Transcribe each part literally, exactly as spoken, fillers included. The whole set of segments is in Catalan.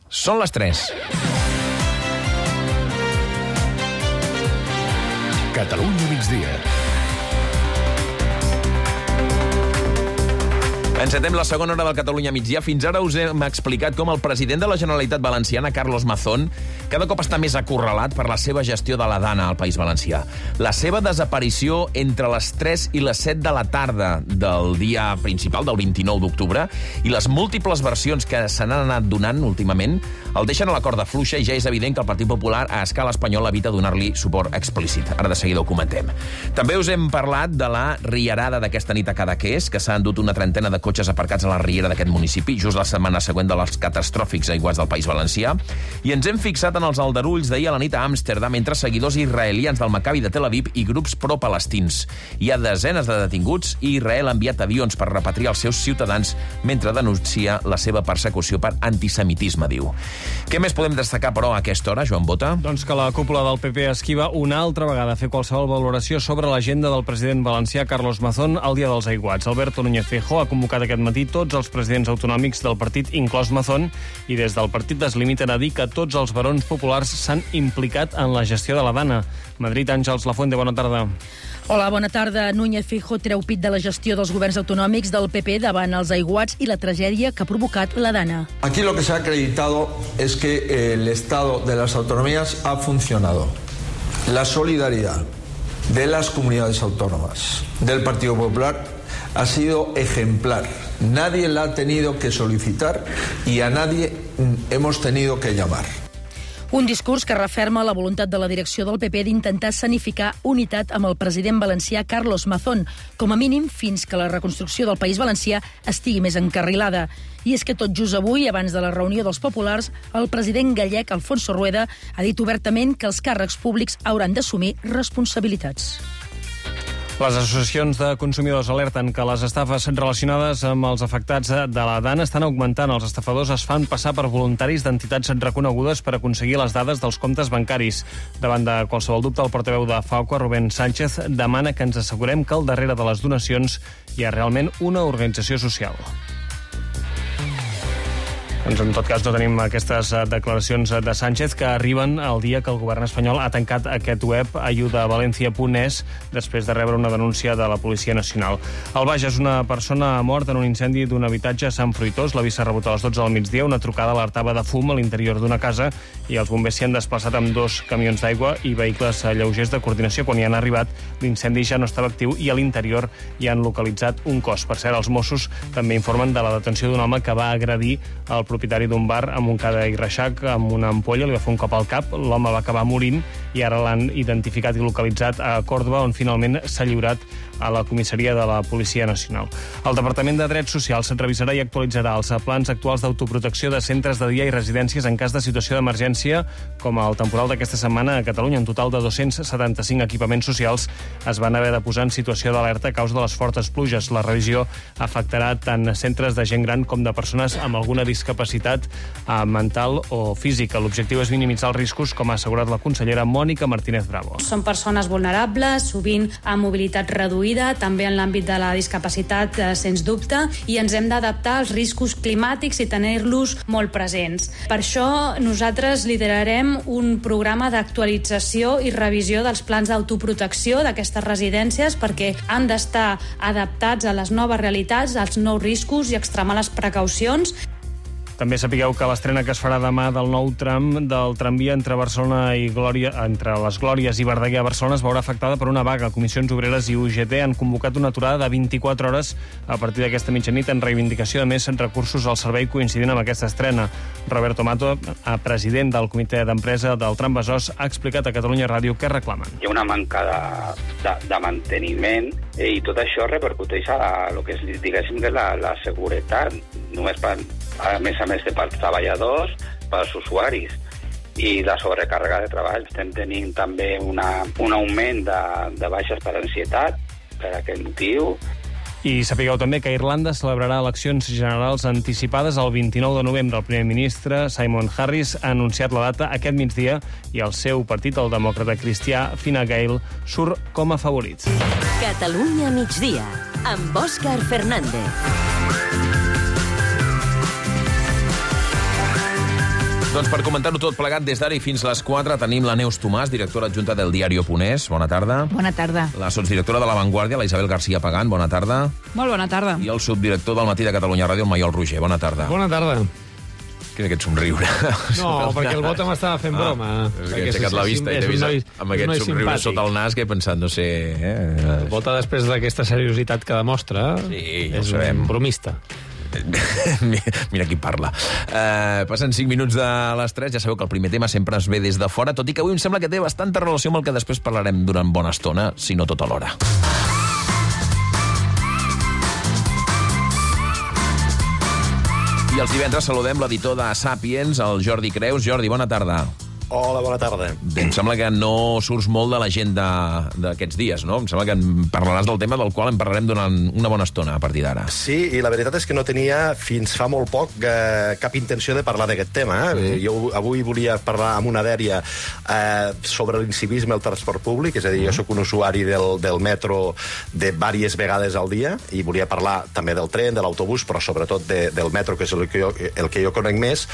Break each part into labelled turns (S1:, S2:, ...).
S1: Són les tres.
S2: Catalunya migdia.
S1: Encetem la segona hora del Catalunya migdia. Fins ara us hem explicat com el president de la Generalitat Valenciana, Carlos Mazón, cada cop està més acorralat per la seva gestió de la Dana al País Valencià. La seva desaparició entre les tres i les set de la tarda del dia principal, del vint-i-nou d'octubre, i les múltiples versions que se n'han anat donant últimament, el deixen a la corda fluixa i ja és evident que el Partit Popular a escala espanyola evita donar-li suport explícit. Ara de seguida ho comentem. També us hem parlat de la riarada d'aquesta nit a Cadaqués, que s'ha endut una trentena de cotxes aparcats a la riera d'aquest municipi, just la setmana següent de les catastròfics aiguats del País Valencià. I ens hem fixat en els aldarulls d'ahir a la nit a Amsterdam entre seguidors israelians del Maccabi de Tel Aviv i grups pro-palestins. Hi ha desenes de detinguts i Israel ha enviat avions per repatriar els seus ciutadans mentre denuncia la seva persecució per antisemitisme, diu. Què més podem destacar, però, a aquesta hora, Joan Bota?
S3: Doncs que la cúpula del P P esquiva una altra vegada a fer qualsevol valoració sobre l'agenda del president valencià Carlos Mazón al dia dels aiguats. Alberto Núñez Feijóo ha convocat aquest matí tots els presidents autonòmics del partit, inclòs Mazón, i des del partit es limiten a dir que tots els barons populars s'han implicat en la gestió de la Dana. Madrid, Àngels Lafuente, bona tarda.
S4: Hola, bona tarda. Núñez Feijóo treu pit de la gestió dels governs autonòmics del P P davant els aiguats i la tragèdia que ha provocat la Dana.
S5: Aquí lo que se ha acreditado es que el Estado de las autonomías ha funcionado. La solidaridad de las comunidades autónomas del Partido Popular ha sido ejemplar. Nadie la ha tenido que solicitar y a nadie hemos tenido que llamar.
S4: Un discurs que referma la voluntat de la direcció del P P d'intentar escenificar unitat amb el president valencià Carlos Mazón, com a mínim fins que la reconstrucció del País Valencià estigui més encarrilada. I és que tot just avui, abans de la reunió dels populars, el president gallec Alfonso Rueda ha dit obertament que els càrrecs públics hauran d'assumir responsabilitats.
S3: Les associacions de consumidors alerten que les estafes relacionades amb els afectats de la Dana estan augmentant. Els estafadors es fan passar per voluntaris d'entitats reconegudes per aconseguir les dades dels comptes bancaris. Davant de qualsevol dubte, el portaveu de FAUCA, Rubén Sánchez, demana que ens assegurem que al darrere de les donacions hi ha realment una organització social. Doncs en tot cas no tenim aquestes declaracions de Sánchez que arriben el dia que el govern espanyol ha tancat aquest web ayudavalencia punt es després de rebre una denúncia de la Policia Nacional. Al Bages, una persona ha mort en un incendi d'un habitatge a Sant Fruitós. L'avís s'ha rebut a les dotze del migdia. Una trucada alertava de fum a l'interior d'una casa i els bombers s'hi han desplaçat amb dos camions d'aigua i vehicles lleugers de coordinació. Quan hi han arribat, l'incendi ja no estava actiu i a l'interior hi han localitzat un cos. Per cert, els Mossos també informen de la detenció d'un home que va agredir el propietari d'un bar a Montcada i Reixac amb una ampolla, li va fer un cop al cap, l'home va acabar morint i ara l'han identificat i localitzat a Còrdova, on finalment s'ha lliurat a la comissaria de la Policia Nacional. El Departament de Drets Socials revisarà i actualitzarà els plans actuals d'autoprotecció de centres de dia i residències en cas de situació d'emergència, com el temporal d'aquesta setmana a Catalunya. En total de dos-cents setanta-cinc equipaments socials es van haver de posar en situació d'alerta a causa de les fortes pluges. La revisió afectarà tant centres de gent gran com de persones amb alguna discapacitat mental o física. L'objectiu és minimitzar els riscos, com ha assegurat la consellera Mònica Martínez Bravo.
S6: Són persones vulnerables, sovint amb mobilitat reduïda, també en l'àmbit de la discapacitat, eh, sens dubte, i ens hem d'adaptar als riscos climàtics i tenir-los molt presents. Per això nosaltres liderarem un programa d'actualització i revisió dels plans d'autoprotecció d'aquestes residències perquè han d'estar adaptats a les noves realitats, als nous riscos i extremar les precaucions.
S3: També sapigueu que l'estrena que es farà demà del nou tram del tramvia entre Barcelona i Glòria, entre les Glòries i Verdaguer a Barcelona es veurà afectada per una vaga. Comissions Obreres i U G T han convocat una aturada de vint-i-quatre hores a partir d'aquesta mitjanit en reivindicació de més recursos al servei coincidint amb aquesta estrena. Roberto Mato, president del comitè d'empresa del tram Besòs, ha explicat a Catalunya Ràdio què reclamen.
S7: Hi ha una manca de, de, de manteniment eh, i tot això repercuteix a, a lo que és, diguéssim, de la, la seguretat. Només per, a més a més de pels treballadors, pels usuaris i la sobrecàrrega de treball. Estem tenint també una, un augment de, de baixes per ansietat per aquest motiu.
S3: I sapigueu també que Irlanda celebrarà eleccions generals anticipades el vint-i-nou de novembre. El primer ministre, Simon Harris, ha anunciat la data aquest migdia i el seu partit, el demòcrata cristià Fine Gael, surt com a favorit.
S8: Catalunya migdia, amb Òscar Fernández.
S1: Doncs per comentar-ho tot plegat, des d'ara i fins les quatre tenim la Neus Tomàs, directora adjunta del Diario.es. Bona tarda.
S9: Bona tarda.
S1: La sotsdirectora de La Vanguardia, la Isabel García Pagán. Bona tarda.
S9: Molt bona tarda.
S1: I el subdirector del Matí de Catalunya Ràdio, el Maiol Roger. Bona tarda.
S10: Bona tarda.
S1: Què és aquest somriure?
S10: No, perquè el Bota m'estava fent broma.
S1: Ah, és que he aixecat la vista i t'he vist amb aquest somriure sota el nas que he pensat, no sé... Eh?
S10: El Bota, després d'aquesta seriositat que demostra,
S1: sí, ja
S10: és un bromista.
S1: Mira qui parla. Uh, passen cinc minuts de les tres. Ja sabeu que el primer tema sempre es ve des de fora, tot i que avui em sembla que té bastanta relació amb el que després parlarem durant bona estona, si no tota l'hora. I els divendres saludem l'editor de Sàpiens, el Jordi Creus. Jordi, bona tarda.
S11: Hola, bona tarda.
S1: Bé, em sembla que no surts molt de l'agenda d'aquests dies, no? Em sembla que en parlaràs del tema del qual en parlarem durant una bona estona a partir d'ara.
S11: Sí, i la veritat és que no tenia fins fa molt poc eh, cap intenció de parlar d'aquest tema. Eh? Mm. Jo avui volia parlar amb una dèria eh, sobre l'incivisme al transport públic, és a dir, mm. jo sóc un usuari del, del metro de diverses vegades al dia i volia parlar també del tren, de l'autobús, però sobretot de, del metro, que és el que jo, el que jo conec més,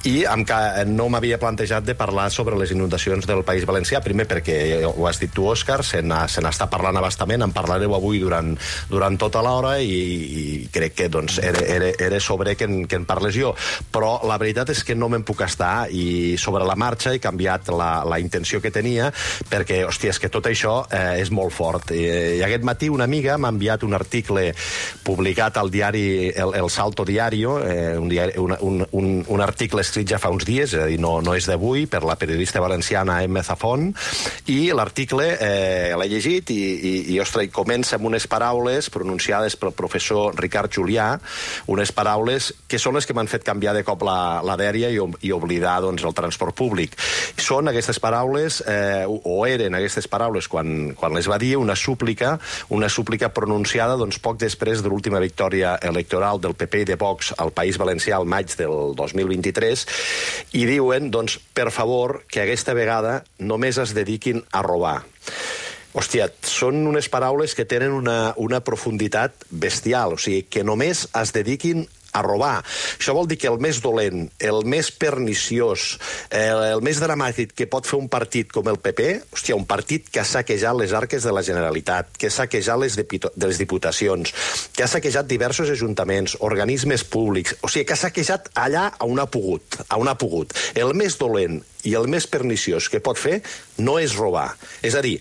S11: i amb que no m'havia plantejat de parlar sobre les inundacions del País Valencià, primer perquè, ho has dit tu, Òscar, se n'està parlant abastament, en parlareu avui durant, durant tota l'hora i, i crec que doncs, era, era, era sobre que en, que en parles jo. Però la veritat és que no me'n puc estar i sobre la marxa he canviat la, la intenció que tenia perquè, hòstia, és que tot això eh, és molt fort. I, I aquest matí una amiga m'ha enviat un article publicat al diari El, el Salto Diario, eh, un, diari, un, un, un, un article escrit ja fa uns dies, és a dir, no, no és d'avui, per la la periodista valenciana Emma Zafón, i l'article eh, l'he llegit i, i, i ostres, comença amb unes paraules pronunciades pel professor Ricard Julià, unes paraules que són les que m'han fet canviar de cop la, la dèria i, i oblidar doncs, el transport públic. Són aquestes paraules, eh, o eren aquestes paraules quan, quan les va dir, una súplica, una súplica pronunciada doncs, poc després de l'última victòria electoral del P P i de Vox al País Valencià al maig del dos mil vint-i-tres, i diuen, doncs, per favor, que aquesta vegada només es dediquin a robar. Hòstia, són unes paraules que tenen una, una profunditat bestial, o sigui, que només es dediquin a robar. Això vol dir que el més dolent, el més perniciós, el, el més dramàtic que pot fer un partit com el P P, hòstia, un partit que ha saquejat les arques de la Generalitat, que ha saquejat les, de les diputacions, que ha saquejat diversos ajuntaments, organismes públics, o sigui, que ha saquejat allà on ha pogut, on ha pogut. El més dolent i el més perniciós que pot fer no és robar. És a dir,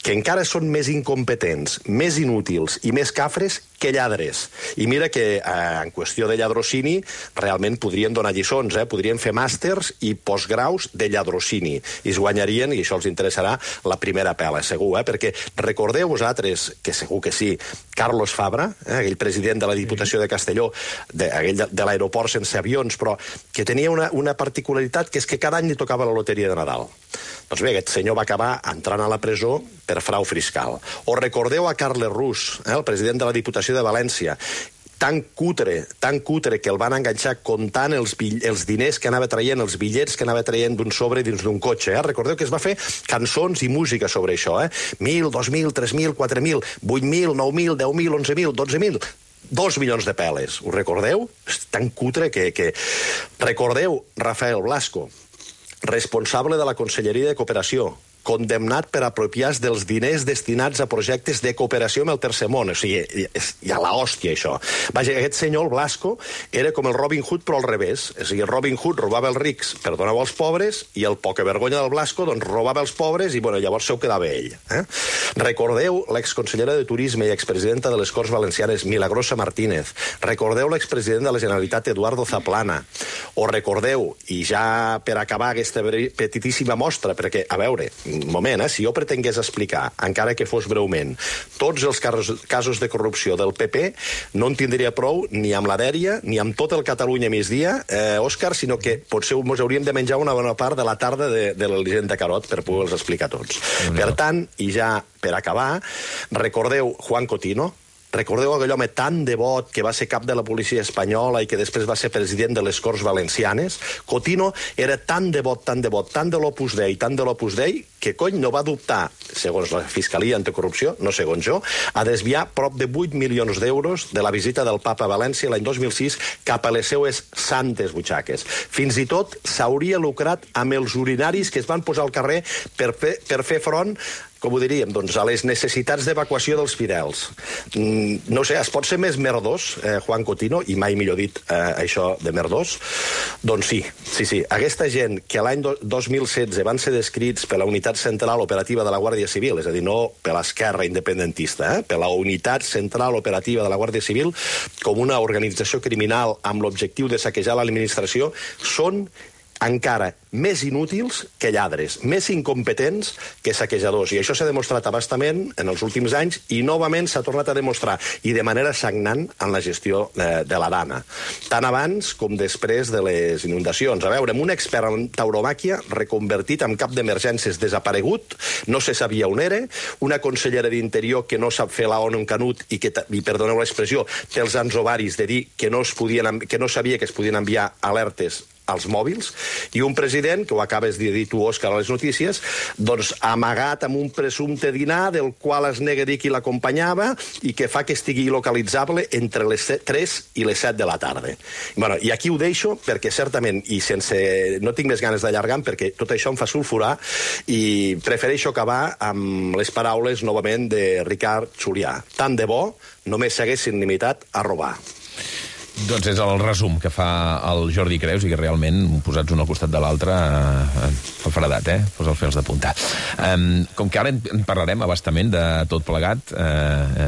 S11: que encara són més incompetents, més inútils i més cafres que lladres. I mira que eh, en qüestió de lladrocini realment podrien donar lliçons, eh? Podrien fer màsters i postgraus de lladrocini. I es guanyarien, i això els interessarà, la primera pela, segur, eh? Perquè recordeu vosaltres, que segur que sí, Carlos Fabra, eh? aquell president de la Diputació de Castelló, de, aquell de, de l'aeroport sense avions, però que tenia una, una particularitat, que és que cada any li tocava la loteria de Nadal. Doncs bé, aquest senyor va acabar entrant a la presó per frau fiscal. O recordeu a Carles Rus, eh, el president de la Diputació de València, tan cutre, tan cutre que el van enganxar comptant els, els diners que anava traient, els bitllets que anava traient d'un sobre dins d'un cotxe. Eh? Recordeu que es va fer cançons i música sobre això. Eh? Mil, dos mil, tres mil, quatre mil, vuit mil, nou mil, deu mil, onze mil, dotze mil... Dos milions de peles. Ho recordeu? És tan cutre que... que... Recordeu Rafael Blasco, responsable de la Conselleria de Cooperació, condemnat per apropiar-se dels diners destinats a projectes de cooperació amb el Tercer Món. O sigui, hi ha l'hòstia, això. Vaja, aquest senyor, el Blasco, era com el Robin Hood, però al revés. És a dir, el Robin Hood robava els rics per donar als pobres, i el poca vergonya del Blasco, doncs, robava els pobres, i, bueno, llavors se ho quedava ell. Eh? Recordeu l'exconsellera de Turisme i expresidenta de les Corts Valencianes, Milagrosa Martínez. Recordeu l'expresident de la Generalitat, Eduardo Zaplana. O recordeu, i ja per acabar aquesta petitíssima mostra, perquè, a veure, un moment, eh? Si jo pretengués explicar, encara que fos breument, tots els casos, casos de corrupció del P P, no en tindria prou ni amb la dèria, ni amb tot el Catalunya migdia, eh, Òscar, sinó que potser ens hauríem de menjar una bona part de la tarda de, de l'Elisenda Carot per poder-los explicar tots. Per tant, i ja per acabar, recordeu Juan Cotino, Recordeu aquell home tan devot que va ser cap de la policia espanyola i que després va ser president de les Corts Valencianes? Cotino era tan devot, tan devot, tan de l'Opus Dei, tan de l'Opus Dei, que cony no va dubtar, segons la Fiscalia Anticorrupció, no segons jo, a desviar prop de vuit milions d'euros de la visita del papa a València l'any dos mil sis cap a les seues santes butxaques. Fins i tot s'hauria lucrat amb els urinaris que es van posar al carrer per fer, per fer front, com ho diríem, doncs, a les necessitats d'evacuació dels fidels. Mm, no sé, es pot ser més merdós, eh, Juan Cotino, i mai millor dit eh, això de merdós? Doncs sí, sí, sí. Aquesta gent que l'any dos mil setze van ser descrits per la Unitat Central Operativa de la Guàrdia Civil, és a dir, no per l'esquerra independentista, eh, per la Unitat Central Operativa de la Guàrdia Civil, com una organització criminal amb l'objectiu de saquejar l'administració, són encara més inútils que lladres, més incompetents que saquejadors. I això s'ha demostrat abastament en els últims anys i novament s'ha tornat a demostrar, i de manera sagnant, en la gestió de, de la Dana. Tant abans com després de les inundacions. A veure, amb un expert en tauromàquia reconvertit en cap d'emergències desaparegut, no se sabia on era, una consellera d'Interior que no sap fer la ONU en canut i que, i perdoneu l'expressió, té els ansovaris de dir que no, es podien, que no sabia que es podien enviar alertes als mòbils, i un president, que ho acabes de dir tu, Òscar, a les notícies, doncs amagat amb un presumpte dinar del qual es nega dir qui l'acompanyava i que fa que estigui localitzable entre les tres i les set de la tarda. Bueno, i aquí ho deixo perquè certament, i sense... no tinc més ganes d'allargar perquè tot això em fa sulfurar, i prefereixo acabar amb les paraules novament de Ricard Julià. Tant de bo només s'haguessin limitat a robar.
S1: Doncs és el resum que fa el Jordi Creus i que realment, posats un al costat de l'altre, eh, fa fredat, eh? Posa els fils de punta. Um, com que ara en parlarem abastament de tot plegat, eh, eh,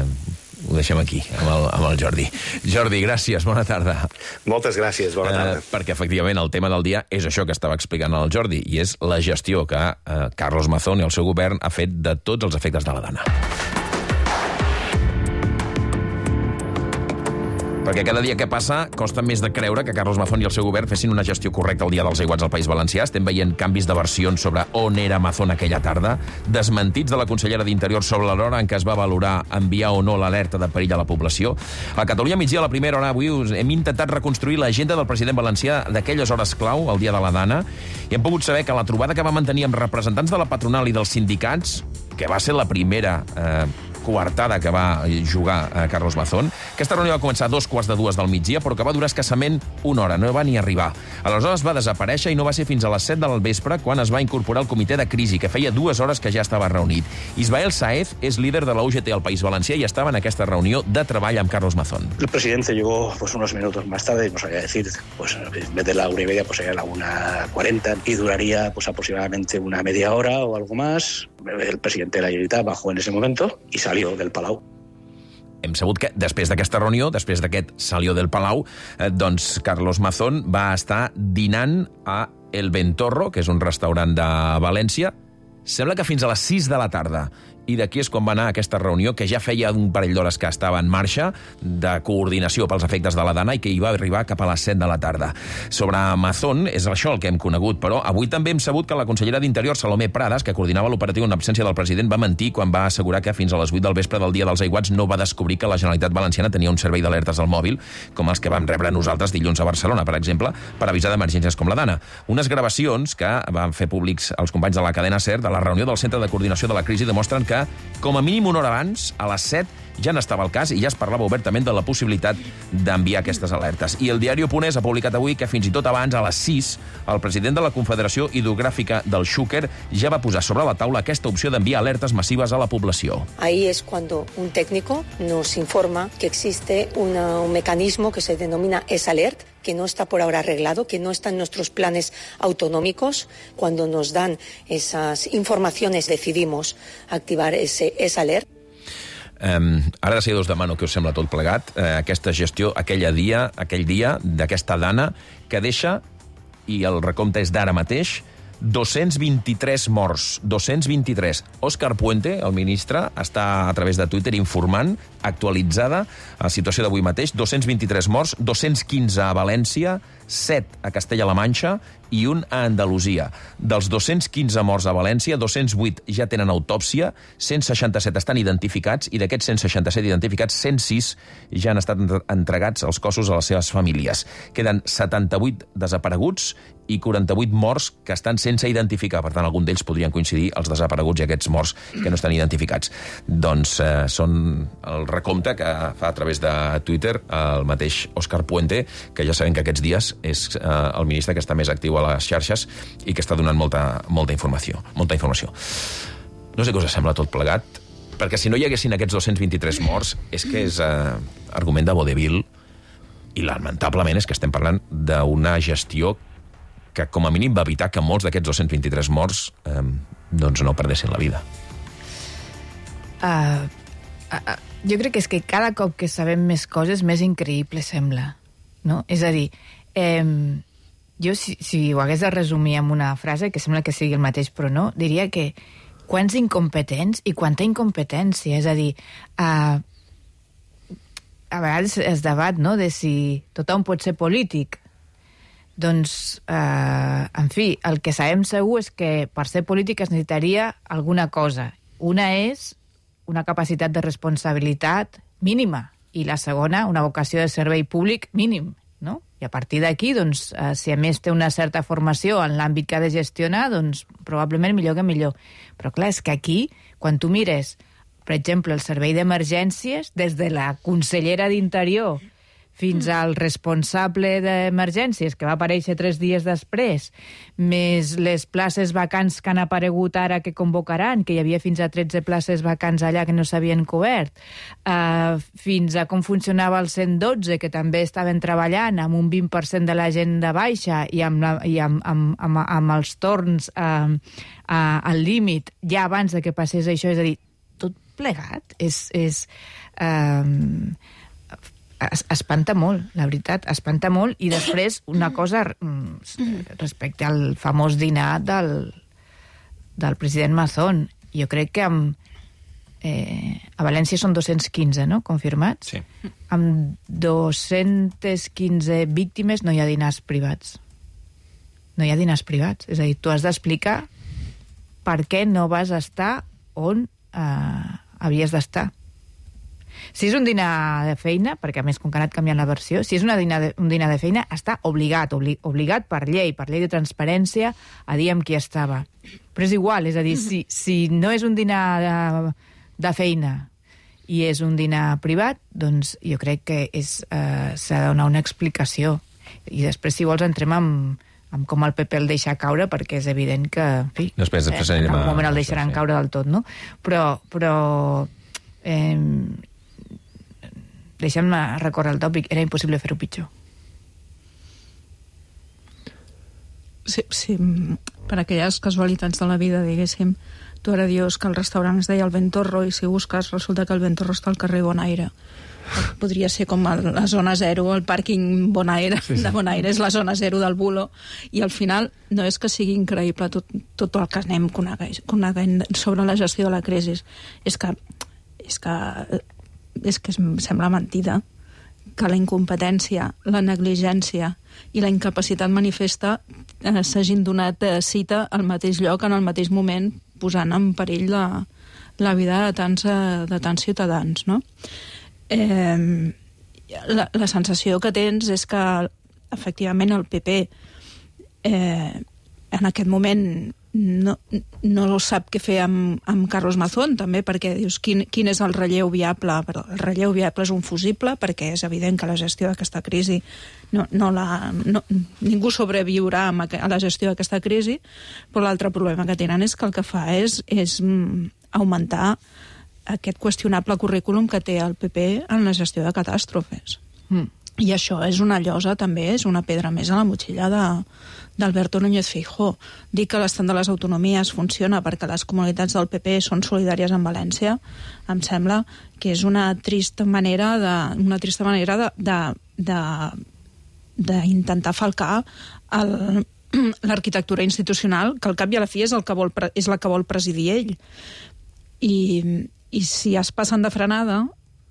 S1: ho deixem aquí, amb el, amb el Jordi. Jordi, gràcies, bona tarda.
S11: Moltes gràcies, bona tarda.
S1: Eh, perquè, efectivament, el tema del dia és això que estava explicant el Jordi, i és la gestió que eh, Carlos Mazón i el seu govern ha fet de tots els efectes de la Dana. Perquè cada dia que passa costa més de creure que Carlos Mazón i el seu govern fessin una gestió correcta el dia dels aiguats al País Valencià. Estem veient canvis de versions sobre on era Mazón aquella tarda, desmentits de la consellera d'Interior sobre l'hora en què es va valorar enviar o no l'alerta de perill a la població. A Catalunya migdia, a la primera hora, avui us hem intentat reconstruir l'agenda del president valencià d'aquelles hores clau, el dia de la Dana, i hem pogut saber que la trobada que va mantenir amb representants de la patronal i dels sindicats, que va ser la primera eh, coartada que va jugar a Carlos Mazón. Aquesta reunió va començar a dos quarts de dues del migdia, però que va durar escassament una hora, no va ni arribar. Aleshores va desaparèixer i no va ser fins a les set del vespre quan es va incorporar el comitè de crisi, que feia dues hores que ja estava reunit. Ismael Saez és líder de la U G T al País Valencià i estava en aquesta reunió de treball amb Carlos Mazón.
S9: El presidente llegó pues, unos minutos más tarde, no sabía decir, pues en vez de la una y media, pues sería la una cuarenta y duraría pues aproximadamente una media hora o algo más. El presidente de la Generalitat bajó en ese momento y salió del Palau.
S1: Hem sabut que després d'aquesta reunió, després d'aquest salió del Palau, eh, doncs Carlos Mazón va estar dinant a El Ventorro, que és un restaurant de València, sembla que fins a les sis de la tarda. I d'aquí és quan va anar aquesta reunió, que ja feia un parell d'hores que estava en marxa, de coordinació pels efectes de la Dana, i que hi va arribar cap a les set de la tarda. Sobre Mazón, és això el que hem conegut, però avui també hem sabut que la consellera d'Interior, Salomé Prades, que coordinava l'operatiu en absència del president, va mentir quan va assegurar que fins a les vuit del vespre del dia dels aiguats no va descobrir que la Generalitat Valenciana tenia un servei d'alertes al mòbil, com els que vam rebre nosaltres dilluns a Barcelona, per exemple, per avisar d'emergències com la Dana. Unes gravacions que van fer públics els companys de la cadena SER de la reunió del Centre de Coordinació de la Crisi demostren que que, com a mínim una hora abans, a les set, ja n'estava el cas i ja es parlava obertament de la possibilitat d'enviar aquestes alertes. I el diari Oponès ha publicat avui que fins i tot abans, a les sis, el president de la Confederació Hidrogràfica del Xúquer ja va posar sobre la taula aquesta opció d'enviar alertes massives a la població.
S12: Ahí es cuando un técnico nos informa que existe una, un mecanismo que se denomina ESALERT, que no está por ahora arreglado, que no está en nuestros planes autonómicos. Cuando nos dan esas informaciones decidimos activar ese ESALERT.
S1: Um, ara de seguida us demano que us sembla tot plegat, uh, aquesta gestió aquella dia, aquell dia d'aquesta Dana que deixa, i el recompte és d'ara mateix, dos-cents vint-i-tres morts. dos-cents vint-i-tres. Òscar Puente, el ministre, està a través de Twitter informant, actualitzada, la situació d'avui mateix, dos-cents vint-i-tres morts, dos-cents quinze a València, set a Castella-La Manxa i un a Andalusia. Dels dos-cents quinze morts a València, dos-cents vuit ja tenen autòpsia, cent seixanta-set estan identificats i d'aquests cent seixanta-set identificats, cent sis ja han estat entregats els cossos a les seves famílies. Queden setanta-vuit desapareguts i quaranta-vuit morts que estan sense identificar. Per tant, algun d'ells podrien coincidir, els desapareguts i aquests morts que no estan identificats. Doncs eh, són el recompte que fa a través de Twitter el mateix Òscar Puente, que ja sabem que aquests dies és eh, el ministre que està més actiu a les xarxes i que està donant molta, molta informació. Molta informació. No sé què us sembla tot plegat, perquè si no hi haguessin aquests dos-cents vint-i-tres morts, és que és eh, argument de vodevil, i lamentablement és que estem parlant d'una gestió que com a mínim va evitar que molts d'aquests dos-cents vint-i-tres morts eh, doncs no perdessin la vida.
S13: Uh, uh, uh, jo crec que és que cada cop que sabem més coses, més increïble sembla. No? És a dir, eh, jo si, si ho hagués de resumir amb una frase, que sembla que sigui el mateix però no, diria que quants incompetents i quanta incompetència. És a dir, uh, a vegades es debat, no?, de si tothom pot ser polític. Doncs, eh, en fi, el que sabem segur és que per ser polític es necessitaria alguna cosa. Una és una capacitat de responsabilitat mínima i la segona, una vocació de servei públic mínim, no? I a partir d'aquí, doncs, eh, si a més té una certa formació en l'àmbit que ha de gestionar, doncs probablement millor que millor. Però clar, és que aquí, quan tu mires, per exemple, el servei d'emergències, des de la consellera d'Interior fins al responsable d'emergències, que va aparèixer tres dies després, més les places vacants que han aparegut ara que convocaran, que hi havia fins a tretze places vacants allà que no s'havien cobert, uh, fins a com funcionava el cent dotze, que també estaven treballant amb un vint per cent de la gent de baixa i amb, la, i amb, amb, amb, amb els torns uh, uh, al límit ja abans de que passés això. És a dir, tot plegat és... és uh, espanta molt, la veritat, espanta molt. I després una cosa respecte al famós dinar del, del president Mazón. Jo crec que amb, eh, a València són dos-cents quinze, no?, confirmats.
S1: Sí.
S13: Amb dos-cents quinze víctimes no hi ha dinars privats. No hi ha dinars privats. És a dir, tu has d'explicar per què no vas estar on eh, havies d'estar. Si és un dinar de feina, perquè a més com que ha anat canviant la versió, si és una dinar de, un dinar de feina, està obligat, obli, obligat per llei, per llei de transparència, a dir amb qui estava. Però és igual, és a dir, si, si no és un dinar de, de feina i és un dinar privat, doncs jo crec que és, eh, s'ha de donar una explicació. I després, si vols, entrem amb, amb com el P P el deixa caure, perquè és evident que, en fi,
S1: després, després
S13: eh, en
S1: algun
S13: moment el deixaran sí. caure del tot, no? Però... però eh, deixem-me recórrer el tòpic, era impossible fer-ho pitjor.
S14: Sí, sí, per aquelles casualitats de la vida, diguéssim, tu ara dius que el restaurant es deia el Ventorro i si busques resulta que el Ventorro està al carrer Bonaire. Podria ser com la zona zero, el pàrquing Bonaire, sí, sí. de Bonaire és la zona zero del Bulo, i al final no és que sigui increïble tot, tot el que anem coneguent sobre la gestió de la crisi, és que és que és que sembla mentida que la incompetència, la negligència i la incapacitat manifesta eh, s'hagin donat eh, cita al mateix lloc, en el mateix moment, posant en perill la, la vida de tants, eh, de tants ciutadans, no? Eh, la, la sensació que tens és que, efectivament, el P P eh, en aquest moment no, no sap què fer amb, amb Carlos Mazón, també, perquè dius quin, quin és el relleu viable. Però el relleu viable és un fusible, perquè és evident que la gestió d'aquesta crisi no, no la, no, ningú sobreviurà a la gestió d'aquesta crisi, però l'altre problema que tenen és que el que fa és, és augmentar aquest qüestionable currículum que té el P P en la gestió de catàstrofes. Mm. I això és una llosa, també, és una pedra més a la motxilla de, d'Alberto Núñez Feijóo. Dir que l'estat de les autonomies funciona perquè les comunitats del P P són solidàries amb València, em sembla que és una trista manera de, una trista manera de, de, de, d'intentar falcar el, l'arquitectura institucional, que al cap i a la fi és, el que vol, és la que vol presidir ell. I, i si es passen de frenada,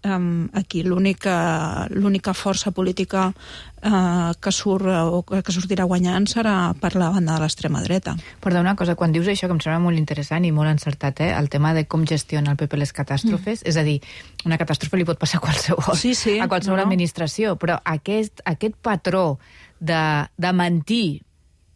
S14: um, aquí l'única l'única força política uh, que, surt, o que sortirà guanyant serà per la banda de l'extrema dreta.
S13: Perdó, una cosa, quan dius això, que em sembla molt interessant i molt encertat, eh? El tema de com gestiona el P P les catàstrofes, mm. és a dir, una catàstrofe li pot passar a qualsevol,
S14: sí, sí,
S13: a qualsevol no, no. administració, però aquest, aquest patró de, de mentir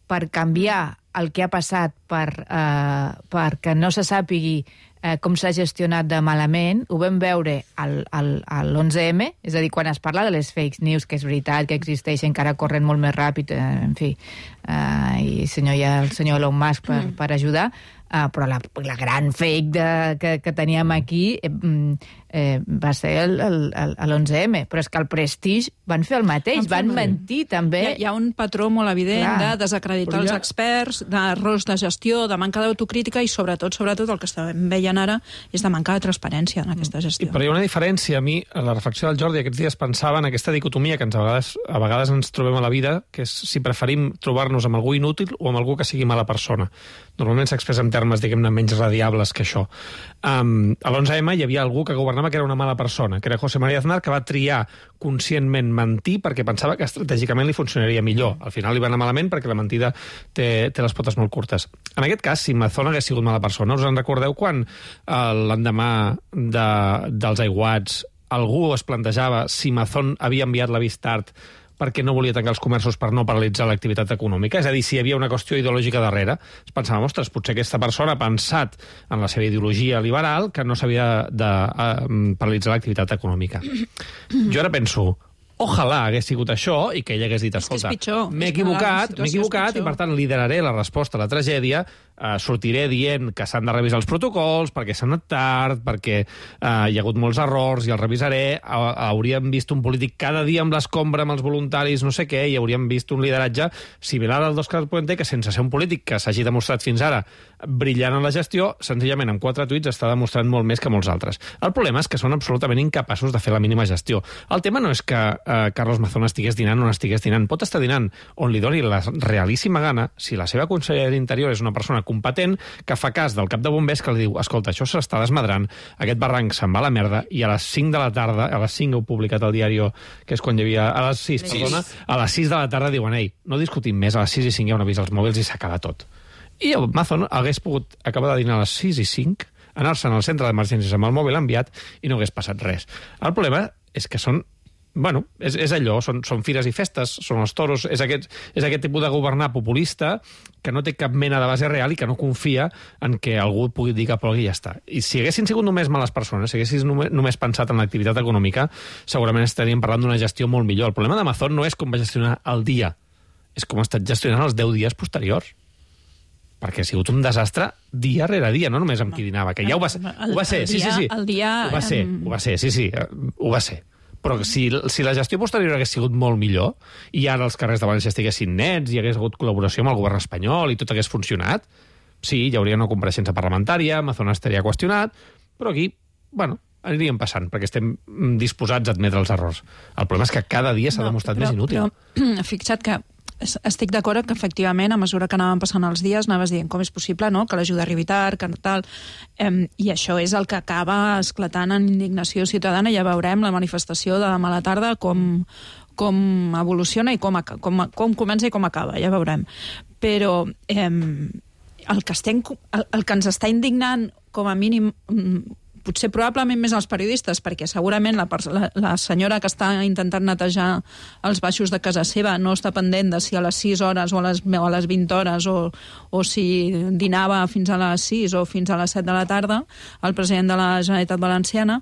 S13: per canviar el que ha passat per, eh, perquè no se sàpigui eh, com s'ha gestionat de malament, ho vam veure al, al, a l'onze eme, és a dir, quan es parla de les fake news, que és veritat que existeixen, encara corren molt més ràpid, eh, en fi, eh, i senyor, hi ha el senyor Elon Musk per, mm. per ajudar, eh, però la, la gran fake de, que, que teníem aquí eh, eh, va ser el, el, el, l'onze eme, però és que el Prestige van fer el mateix, van mentir també.
S14: Hi ha, hi ha un patró molt evident Clar. de desacreditar els experts, d'errors de gestió, de manca d'autocrítica i sobretot, sobretot el que estem veient ara és de manca de transparència en aquesta gestió.
S10: I, però hi ha una diferència. A mi, a la reflexió del Jordi aquests dies pensava en aquesta dicotomia que ens, a, vegades, a vegades ens trobem a la vida, que és si preferim trobar-nos amb algú inútil o amb algú que sigui mala persona. Normalment s'expressa en termes, diguem-ne, menys radiables que això. Um, a l'onze eme hi havia algú que governava que era una mala persona, que era José María Aznar, que va triar conscientment mentir perquè pensava que estratègicament li funcionaria millor. Al final li va anar malament perquè la mentida té, té les potes molt curtes. En aquest cas, si Mazón hagués sigut mala persona, us en recordeu quan eh, l'endemà de, dels aiguats algú es plantejava si Mazón havia enviat l'avís tard perquè no volia tancar els comerços per no paralitzar l'activitat econòmica? És a dir, si hi havia una qüestió ideològica darrere, es pensava, ostres, potser aquesta persona ha pensat en la seva ideologia liberal que no s'havia de uh, paralitzar l'activitat econòmica. Jo ara penso, ojalà hagués sigut això i que ell hagués dit, escolta, m'he equivocat, m'he equivocat i per tant lideraré la resposta a la tragèdia, eh, sortiré dient que s'han de revisar els protocols perquè s'han anat tard, perquè eh, hi ha hagut molts errors i els revisaré, ha, hauríem vist un polític cada dia amb l'escombra, amb els voluntaris, no sé què, i hauríem vist un lideratge similar al d'Òscar Puente, que sense ser un polític que s'hagi demostrat fins ara brillant en la gestió, senzillament amb quatre tuits està demostrant molt més que molts altres. El problema és que són absolutament incapaços de fer la mínima gestió. El tema no és que eh, Carlos Mazón estigués dinant o no estigués dinant. Pot estar dinant on li doni la realíssima gana si la seva consellera d'Interior és una persona competent que fa cas del cap de bombers que li diu, escolta, això s'està desmadrant, aquest barranc se'n va a la merda, i a les cinc de la tarda, a les cinc heu publicat el diari, que és quan hi havia... A les sis, perdona, a les sis de la tarda diuen, ei, no discutim més, a les sis i cinc hi ha un avís als mòbils i s'acaba tot. I el Mazón hagués pogut acabar de dinar a les sis i cinc, anar-se'n al centre d'emergències amb el mòbil enviat i no hagués passat res. El problema és que són Bueno, és, és allò, són, són fires i festes, són els toros, és aquest, és aquest tipus de governar populista que no té cap mena de base real i que no confia en que algú pugui dir cap i ja està. I si haguessin sigut només males persones, si haguessin només, només pensat en l'activitat econòmica, segurament estaríem parlant d'una gestió molt millor. El problema de Mazón no és com va gestionar el dia, és com ha estat gestionant els deu dies posteriors. Perquè ha sigut un desastre dia rere dia, no només amb qui dinava, que ja ho va ser. Ho va ser, sí, sí, sí.
S14: El dia...
S10: Ho va ser, ho va ser, sí, sí, ho va ser. Però si, si la gestió posterior hagués sigut molt millor i ara els carrers de València estiguessin nets i hagués hagut col·laboració amb el govern espanyol i tot hagués funcionat, sí, hi hauria una compareixença parlamentària, Mazón estaria qüestionat, però aquí, bueno, aniríem passant, perquè estem disposats a admetre els errors. El problema és que cada dia s'ha no, demostrat però, més inútil.
S14: Però fixa't que estic d'acord que, efectivament, a mesura que anaven passant els dies, anaves dient com és possible, no?, que l'ajuda arribi tard, que tal... Eh, I això és el que acaba esclatant en indignació ciutadana. Ja veurem la manifestació de demà a la tarda com, com evoluciona i com, com, com comença i com acaba, ja veurem. Però eh, el, que estem, el, el que ens està indignant, com a mínim... potser probablement més els periodistes, perquè segurament la, la, la senyora que està intentant netejar els baixos de casa seva no està pendent de si a les sis hores o a les, o a les vint hores o, o si dinava fins a les sis o fins a les set de la tarda, el president de la Generalitat Valenciana.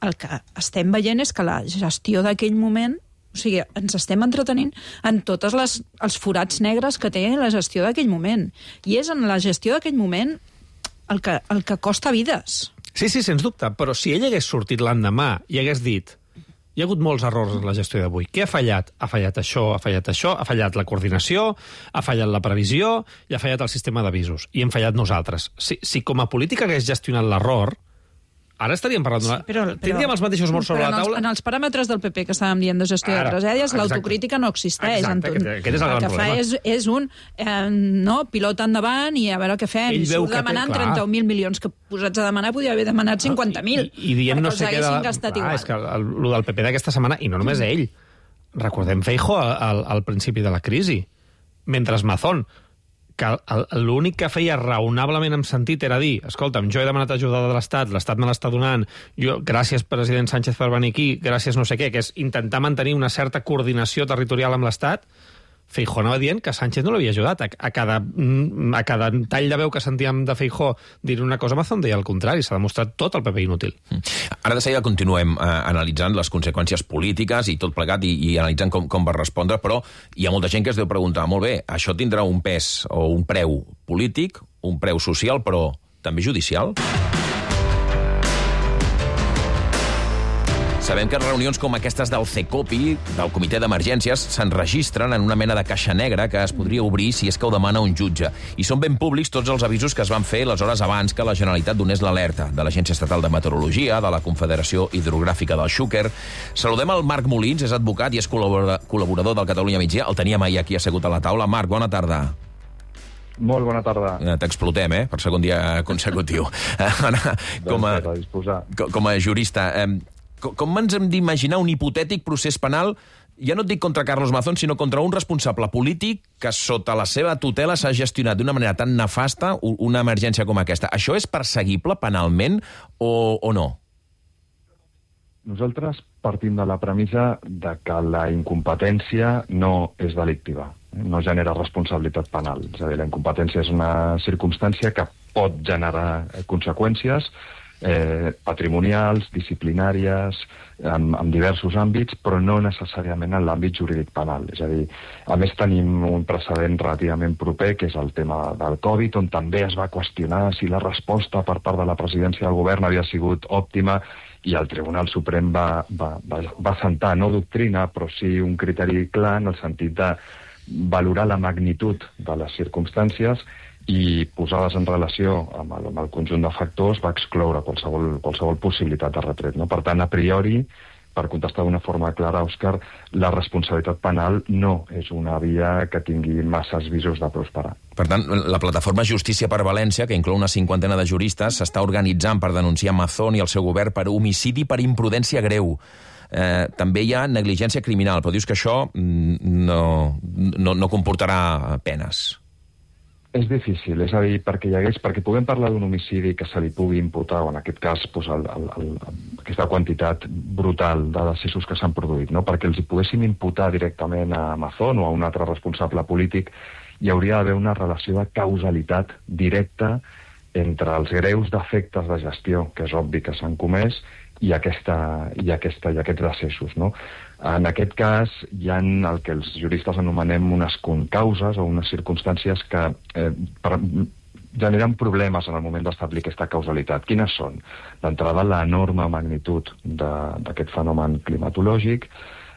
S14: El que estem veient és que la gestió d'aquell moment, o sigui, ens estem entretenint en tots els forats negres que té la gestió d'aquell moment. I és en la gestió d'aquell moment el que, el que costa vides.
S10: Sí, sí, sens dubte, però si ell hagués sortit l'endemà i hagués dit hi ha hagut molts errors en la gestió d'avui, què ha fallat? Ha fallat això, ha fallat això, ha fallat la coordinació, ha fallat la previsió i ha fallat el sistema d'avisos, i hem fallat nosaltres. Si, si com a política hagués gestionat l'error, ara estaríem parlant d'una...
S14: Sí, però, però,
S10: Tindríem els mateixos morts sobre la taula?
S14: En els, en els paràmetres del P P que estàvem dient de gestió
S10: Ara,
S14: de tragèdies,
S10: exacte.
S14: l'autocrítica no existeix.
S10: Exacte,
S14: Anton.
S10: aquest- aquest és el gran
S14: que
S10: problema.
S14: fa és, és un eh, no, pilota endavant i a veure què fem.
S10: Ell
S14: I
S10: veu
S14: surt
S10: que té-
S14: demanant
S10: clar.
S14: trenta mil milions, que posats a demanar podia haver demanat cinquanta mil.
S10: I, i dient no sé què...
S14: De... gastat
S10: Clar,
S14: igual.
S10: és que el, el del P P d'aquesta setmana, i no només ell, recordem Feijóo al, al principi de la crisi, mentre Mazón, que el- l'únic que feia raonablement en sentit era dir, escolta'm, jo he demanat ajuda de l'Estat, l'Estat me l'està donant, jo, gràcies president Sánchez per venir aquí, gràcies no sé què, que és intentar mantenir una certa coordinació territorial amb l'Estat. Feijóo anava dient que Sánchez no l'havia ajudat. A, a, cada, a cada tall de veu que sentíem de Feijóo dir una cosa, Mazón deia el contrari. S'ha demostrat tot el P P inútil.
S1: Ara de seguida continuem eh, analitzant les conseqüències polítiques i tot plegat i, i analitzant com, com va respondre, però hi ha molta gent que es deu preguntar, molt bé, això tindrà un pes o un preu polític, un preu social, però també judicial? Sabem que reunions com aquestes del CECOPI, del Comitè d'Emergències, s'enregistren en una mena de caixa negra que es podria obrir si és que ho demana un jutge. I són ben públics tots els avisos que es van fer les hores abans que la Generalitat donés l'alerta de l'Agència Estatal de Meteorologia, de la Confederació Hidrogràfica del Xúquer. Saludem el Marc Molins, és advocat i és col·laborador del Catalunya Migdia. El teníem ahir aquí assegut a la taula. Marc, bona tarda.
S15: Molt bona tarda.
S1: T'explotem, eh?, per segon dia consecutiu. Ara, com a, com a jurista, eh, com ens hem d'imaginar un hipotètic procés penal, ja no et dic contra Carlos Mazón, sinó contra un responsable polític que sota la seva tutela s'ha gestionat d'una manera tan nefasta una emergència com aquesta? Això és perseguible penalment o, o no?
S15: Nosaltres partim de la premissa de que la incompetència no és delictiva, no genera responsabilitat penal. És a dir, la incompetència és una circumstància que pot generar conseqüències eh, patrimonials, disciplinàries, en, en diversos àmbits, però no necessàriament en l'àmbit jurídic penal. És a dir, a més tenim un precedent relativament proper, que és el tema del Covid, on també es va qüestionar si la resposta per part de la presidència del govern havia sigut òptima, i el Tribunal Suprem va, va, va, va sentar, no doctrina, però sí un criteri clar en el sentit de valorar la magnitud de les circumstàncies i posades en relació amb el, amb el conjunt de factors va excloure qualsevol, qualsevol possibilitat de retret. No? Per tant, a priori, per contestar d'una forma clara, Òscar, la responsabilitat penal no és una via que tingui masses visos de prosperar.
S1: Per tant, la plataforma Justícia per València, que inclou una cinquantena de juristes, s'està organitzant per denunciar Mazón i el seu govern per homicidi per imprudència greu. Eh, també hi ha negligència criminal, però dius que això no, no, no comportarà penes.
S15: És difícil, és a dir, perquè hi hagués, perquè puguem parlar d'un homicidi que se li pugui imputar, o en aquest cas pues, el, el, el, aquesta quantitat brutal de decessos que s'han produït, no? Perquè els hi poguéssim imputar directament a Mazón o a un altre responsable polític, hi hauria d'haver una relació de causalitat directa entre els greus defectes de gestió, que és obvi que s'han comès, i, aquesta, i, aquesta, i aquests decessos, no? En aquest cas, hi ha el que els juristes anomenem unes concauses o unes circumstàncies que eh, per, generen problemes en el moment d'establir aquesta causalitat. Quines són? D'entrada, l'enorme magnitud d'aquest fenomen climatològic,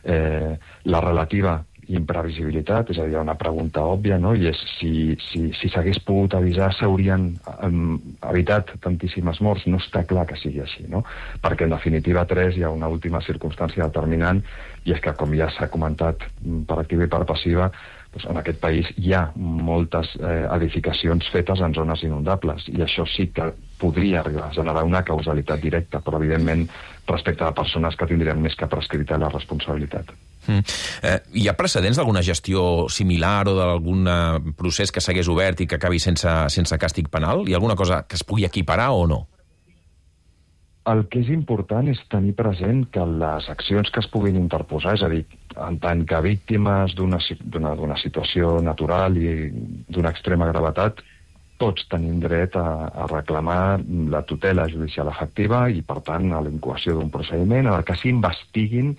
S15: eh, la relativa imprevisibilitat, és a dir, una pregunta òbvia, no? I és si si, si s'hagués pogut avisar s'haurien um, evitat tantíssimes morts. No està clar que sigui així, no? Perquè en definitiva tres hi ha una última circumstància determinant, i és que, com ja s'ha comentat per activa i per passiva, doncs en aquest país hi ha moltes eh, edificacions fetes en zones inundables, i això sí que podria arribar a generar una causalitat directa, però evidentment respecte a persones que tindrien més que prescrita la responsabilitat.
S1: Mm. Eh, hi ha precedents d'alguna gestió similar o d'algun procés que s'hagués obert i que acabi sense, sense càstig penal? Hi ha alguna cosa que es pugui equiparar o no?
S15: El que és important és tenir present que les accions que es puguin interposar, és a dir, en tant que víctimes d'una situació natural i d'una extrema gravetat, tots tenim dret a, a reclamar la tutela judicial efectiva i, per tant, a l'incoació d'un procediment en el que s'investiguin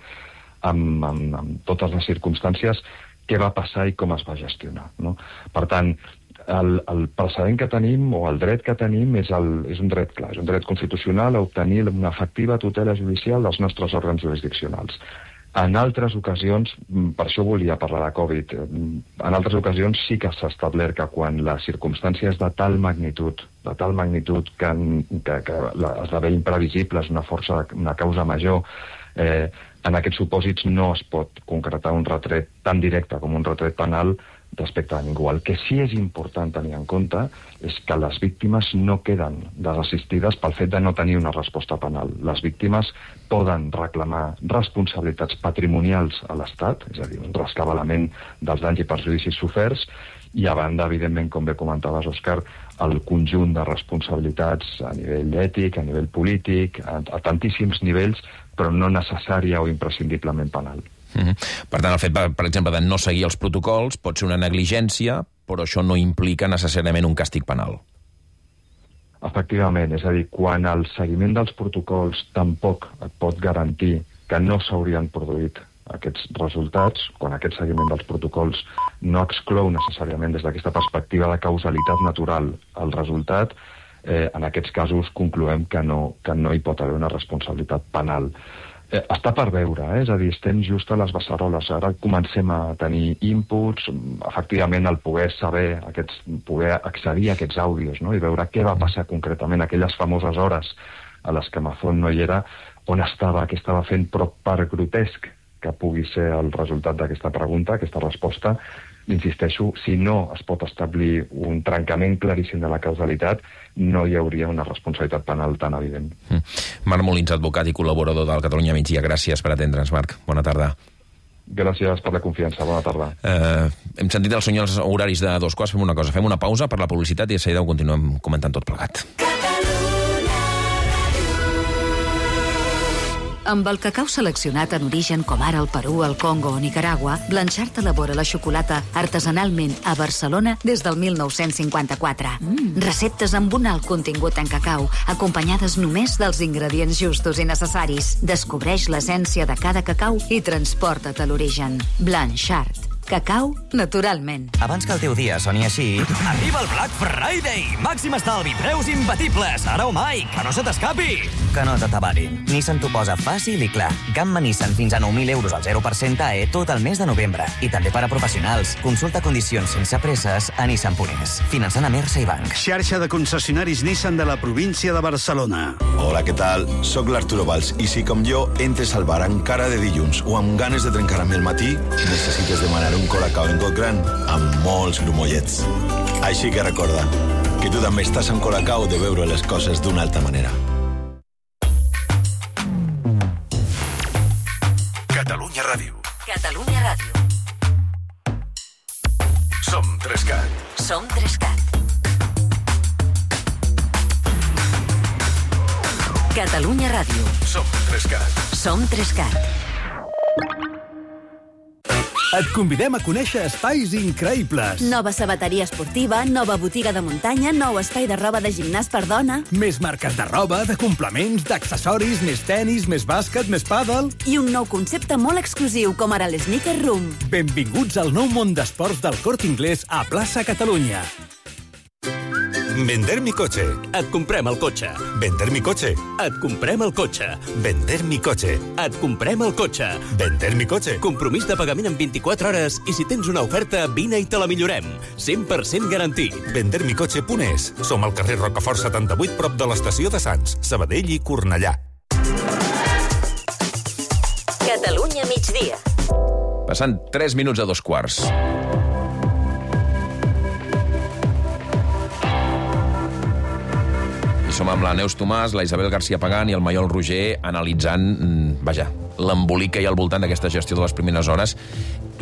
S15: amb, amb, amb totes les circumstàncies què va passar i com es va gestionar, no? Per tant, el, el precedent que tenim o el dret que tenim és, el, és un dret clar, és un dret constitucional a obtenir una efectiva tutela judicial dels nostres òrgans jurisdiccionals. En altres ocasions, per això volia parlar de Covid, en altres ocasions sí que s'ha establert que quan la circumstància és de tal magnitud, de tal magnitud que, que, que esdevé imprevisible, és una força, una causa major, eh, en aquests supòsits no es pot concretar un retret tan directe com un retret penal respecte a ningú. El que sí és important tenir en compte és que les víctimes no queden desassistides pel fet de no tenir una resposta penal. Les víctimes poden reclamar responsabilitats patrimonials a l'Estat, és a dir, un rescabalament dels danys i perjudicis soferts, i a banda, evidentment, com bé comentaves, Òscar, el conjunt de responsabilitats a nivell ètic, a nivell polític, a, a tantíssims nivells, però no necessària o imprescindiblement penal.
S1: Mm-hmm. Per tant, el fet, per, per exemple, de no seguir els protocols pot ser una negligència, però això no implica necessàriament un càstig penal.
S15: Efectivament, és a dir, quan el seguiment dels protocols tampoc et pot garantir que no s'haurien produït aquests resultats, quan aquest seguiment dels protocols no exclou necessàriament des d'aquesta perspectiva de causalitat natural el resultat, eh, en aquests casos concloem que no, que no hi pot haver una responsabilitat penal. Eh, està per veure, eh? És a dir, estem just a les beceroles. Ara comencem a tenir inputs, efectivament el poder saber, aquests, poder accedir a aquests àudios, no? I veure què va passar concretament aquelles famoses hores a les que Mazón no hi era, on estava, què estava fent, però per grotesc que pugui ser el resultat d'aquesta pregunta, aquesta resposta, insisteixo, si no es pot establir un trencament claríssim de la causalitat, no hi hauria una responsabilitat penal tan evident.
S1: Mm. Marc Molins, advocat i col·laborador del Catalunya Migdia. Gràcies per atendre'ns, Marc. Bona tarda.
S15: Gràcies per la confiança. Bona tarda.
S1: Eh, hem sentit els senyors horaris de dos quarts. Fem una cosa, fem una pausa per la publicitat i de seguida ho continuem comentant tot plegat.
S16: Amb el cacau seleccionat en origen com ara el Perú, el Congo o Nicaragua, Blanchard elabora la xocolata artesanalment a Barcelona des del mil nou-cents cinquanta-quatre. Mm. Receptes amb un alt contingut en cacau, acompanyades només dels ingredients justos i necessaris. Descobreix l'essència de cada cacau i transporta't a l'origen. Blanchard. Cacau, naturalment.
S17: Abans que el teu dia soni així... Arriba el Black Friday! Màxim estalvi, preus imbatibles, ara o mai, que no se t'escapi! Que no t'atabarin. Nissan t'ho posa fàcil i clar. Gamma Nissan fins a nou mil euros al zero per cent A E tot el mes de novembre. I també per a professionals. Consulta condicions sense presses a Nissan punt es. Finançant a Mersa i Banc.
S18: Xarxa de concessionaris Nissan de la província de Barcelona.
S19: Hola, què tal? Soc l'Arturo Valls i si com jo entres al bar encara de dilluns o amb ganes de trencar-me el matí, necessites demanar un colacao en got gran amb molts grumollets. Així que recorda que tu també estàs en colacao de veure les coses d'una altra manera.
S2: Catalunya Ràdio.
S8: Catalunya Ràdio.
S2: Som Trescat.
S8: Som Trescat. Catalunya Ràdio.
S2: Som Trescat.
S8: Som Trescat.
S18: Et convidem a conèixer espais increïbles.
S20: Nova sabateria esportiva, nova botiga de muntanya, nou espai de roba de gimnàs per dona.
S18: Més marques de roba, de complements, d'accessoris, més tennis, més bàsquet, més pàdel.
S20: I un nou concepte molt exclusiu, com ara l'Sneaker Room.
S18: Benvinguts al nou món d'esports del Corte Inglés a Plaça Catalunya.
S21: Vender mi coche.
S22: Et comprem el cotxe.
S21: Vender mi coche.
S22: Et comprem el cotxe.
S21: Vender mi coche.
S22: Et comprem el cotxe.
S21: Vender mi coche.
S22: Compromís de pagament en vint-i-quatre hores i si tens una oferta, vine i te la millorem. cent per cent garantit.
S21: vender mi coche punt es. Som al carrer Rocafort setanta-vuit, prop de l'estació de Sants, Sabadell i Cornellà.
S8: Catalunya migdia.
S1: Passant tres minuts a dos quarts. Som amb la Neus Tomàs, la Isabel García Pagán i el Maiol Roger analitzant, vaja, l'embolic que hi ha al voltant d'aquesta gestió de les primeres hores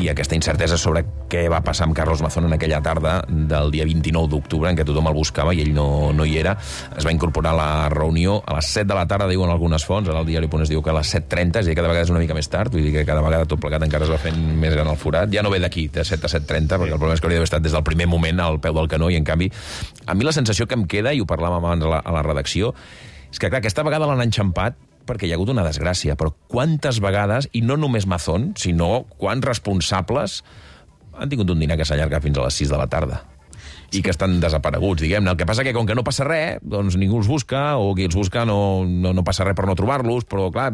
S1: i aquesta incertesa sobre què va passar amb Carlos Mazón en aquella tarda del dia vint-i-nou d'octubre, en què tothom el buscava i ell no, no hi era. Es va incorporar a la reunió a les set de la tarda, diuen algunes fonts, ara el diari Punt es diu que a les set trenta, és a dir, cada vegada és una mica més tard, vull dir que cada vegada tot plegat encara es va fent més gran el forat. Ja no ve d'aquí, de set a set trenta, perquè el problema és que hauria d'haver estat des del primer moment al peu del canó, i en canvi, a mi la sensació que em queda, i ho parlàvem abans a la, a la redacció, és que clar, aquesta vegada l'han enxampat perquè hi ha hagut una desgràcia, però quantes vegades, i no només Mazón, sinó quants responsables han tingut un dinar que s'allarga fins a les sis de la tarda i que estan desapareguts, diguem-ne. El que passa que com que no passa res, doncs ningú els busca, o qui els busca no, no, no passa res per no trobar-los, però clar,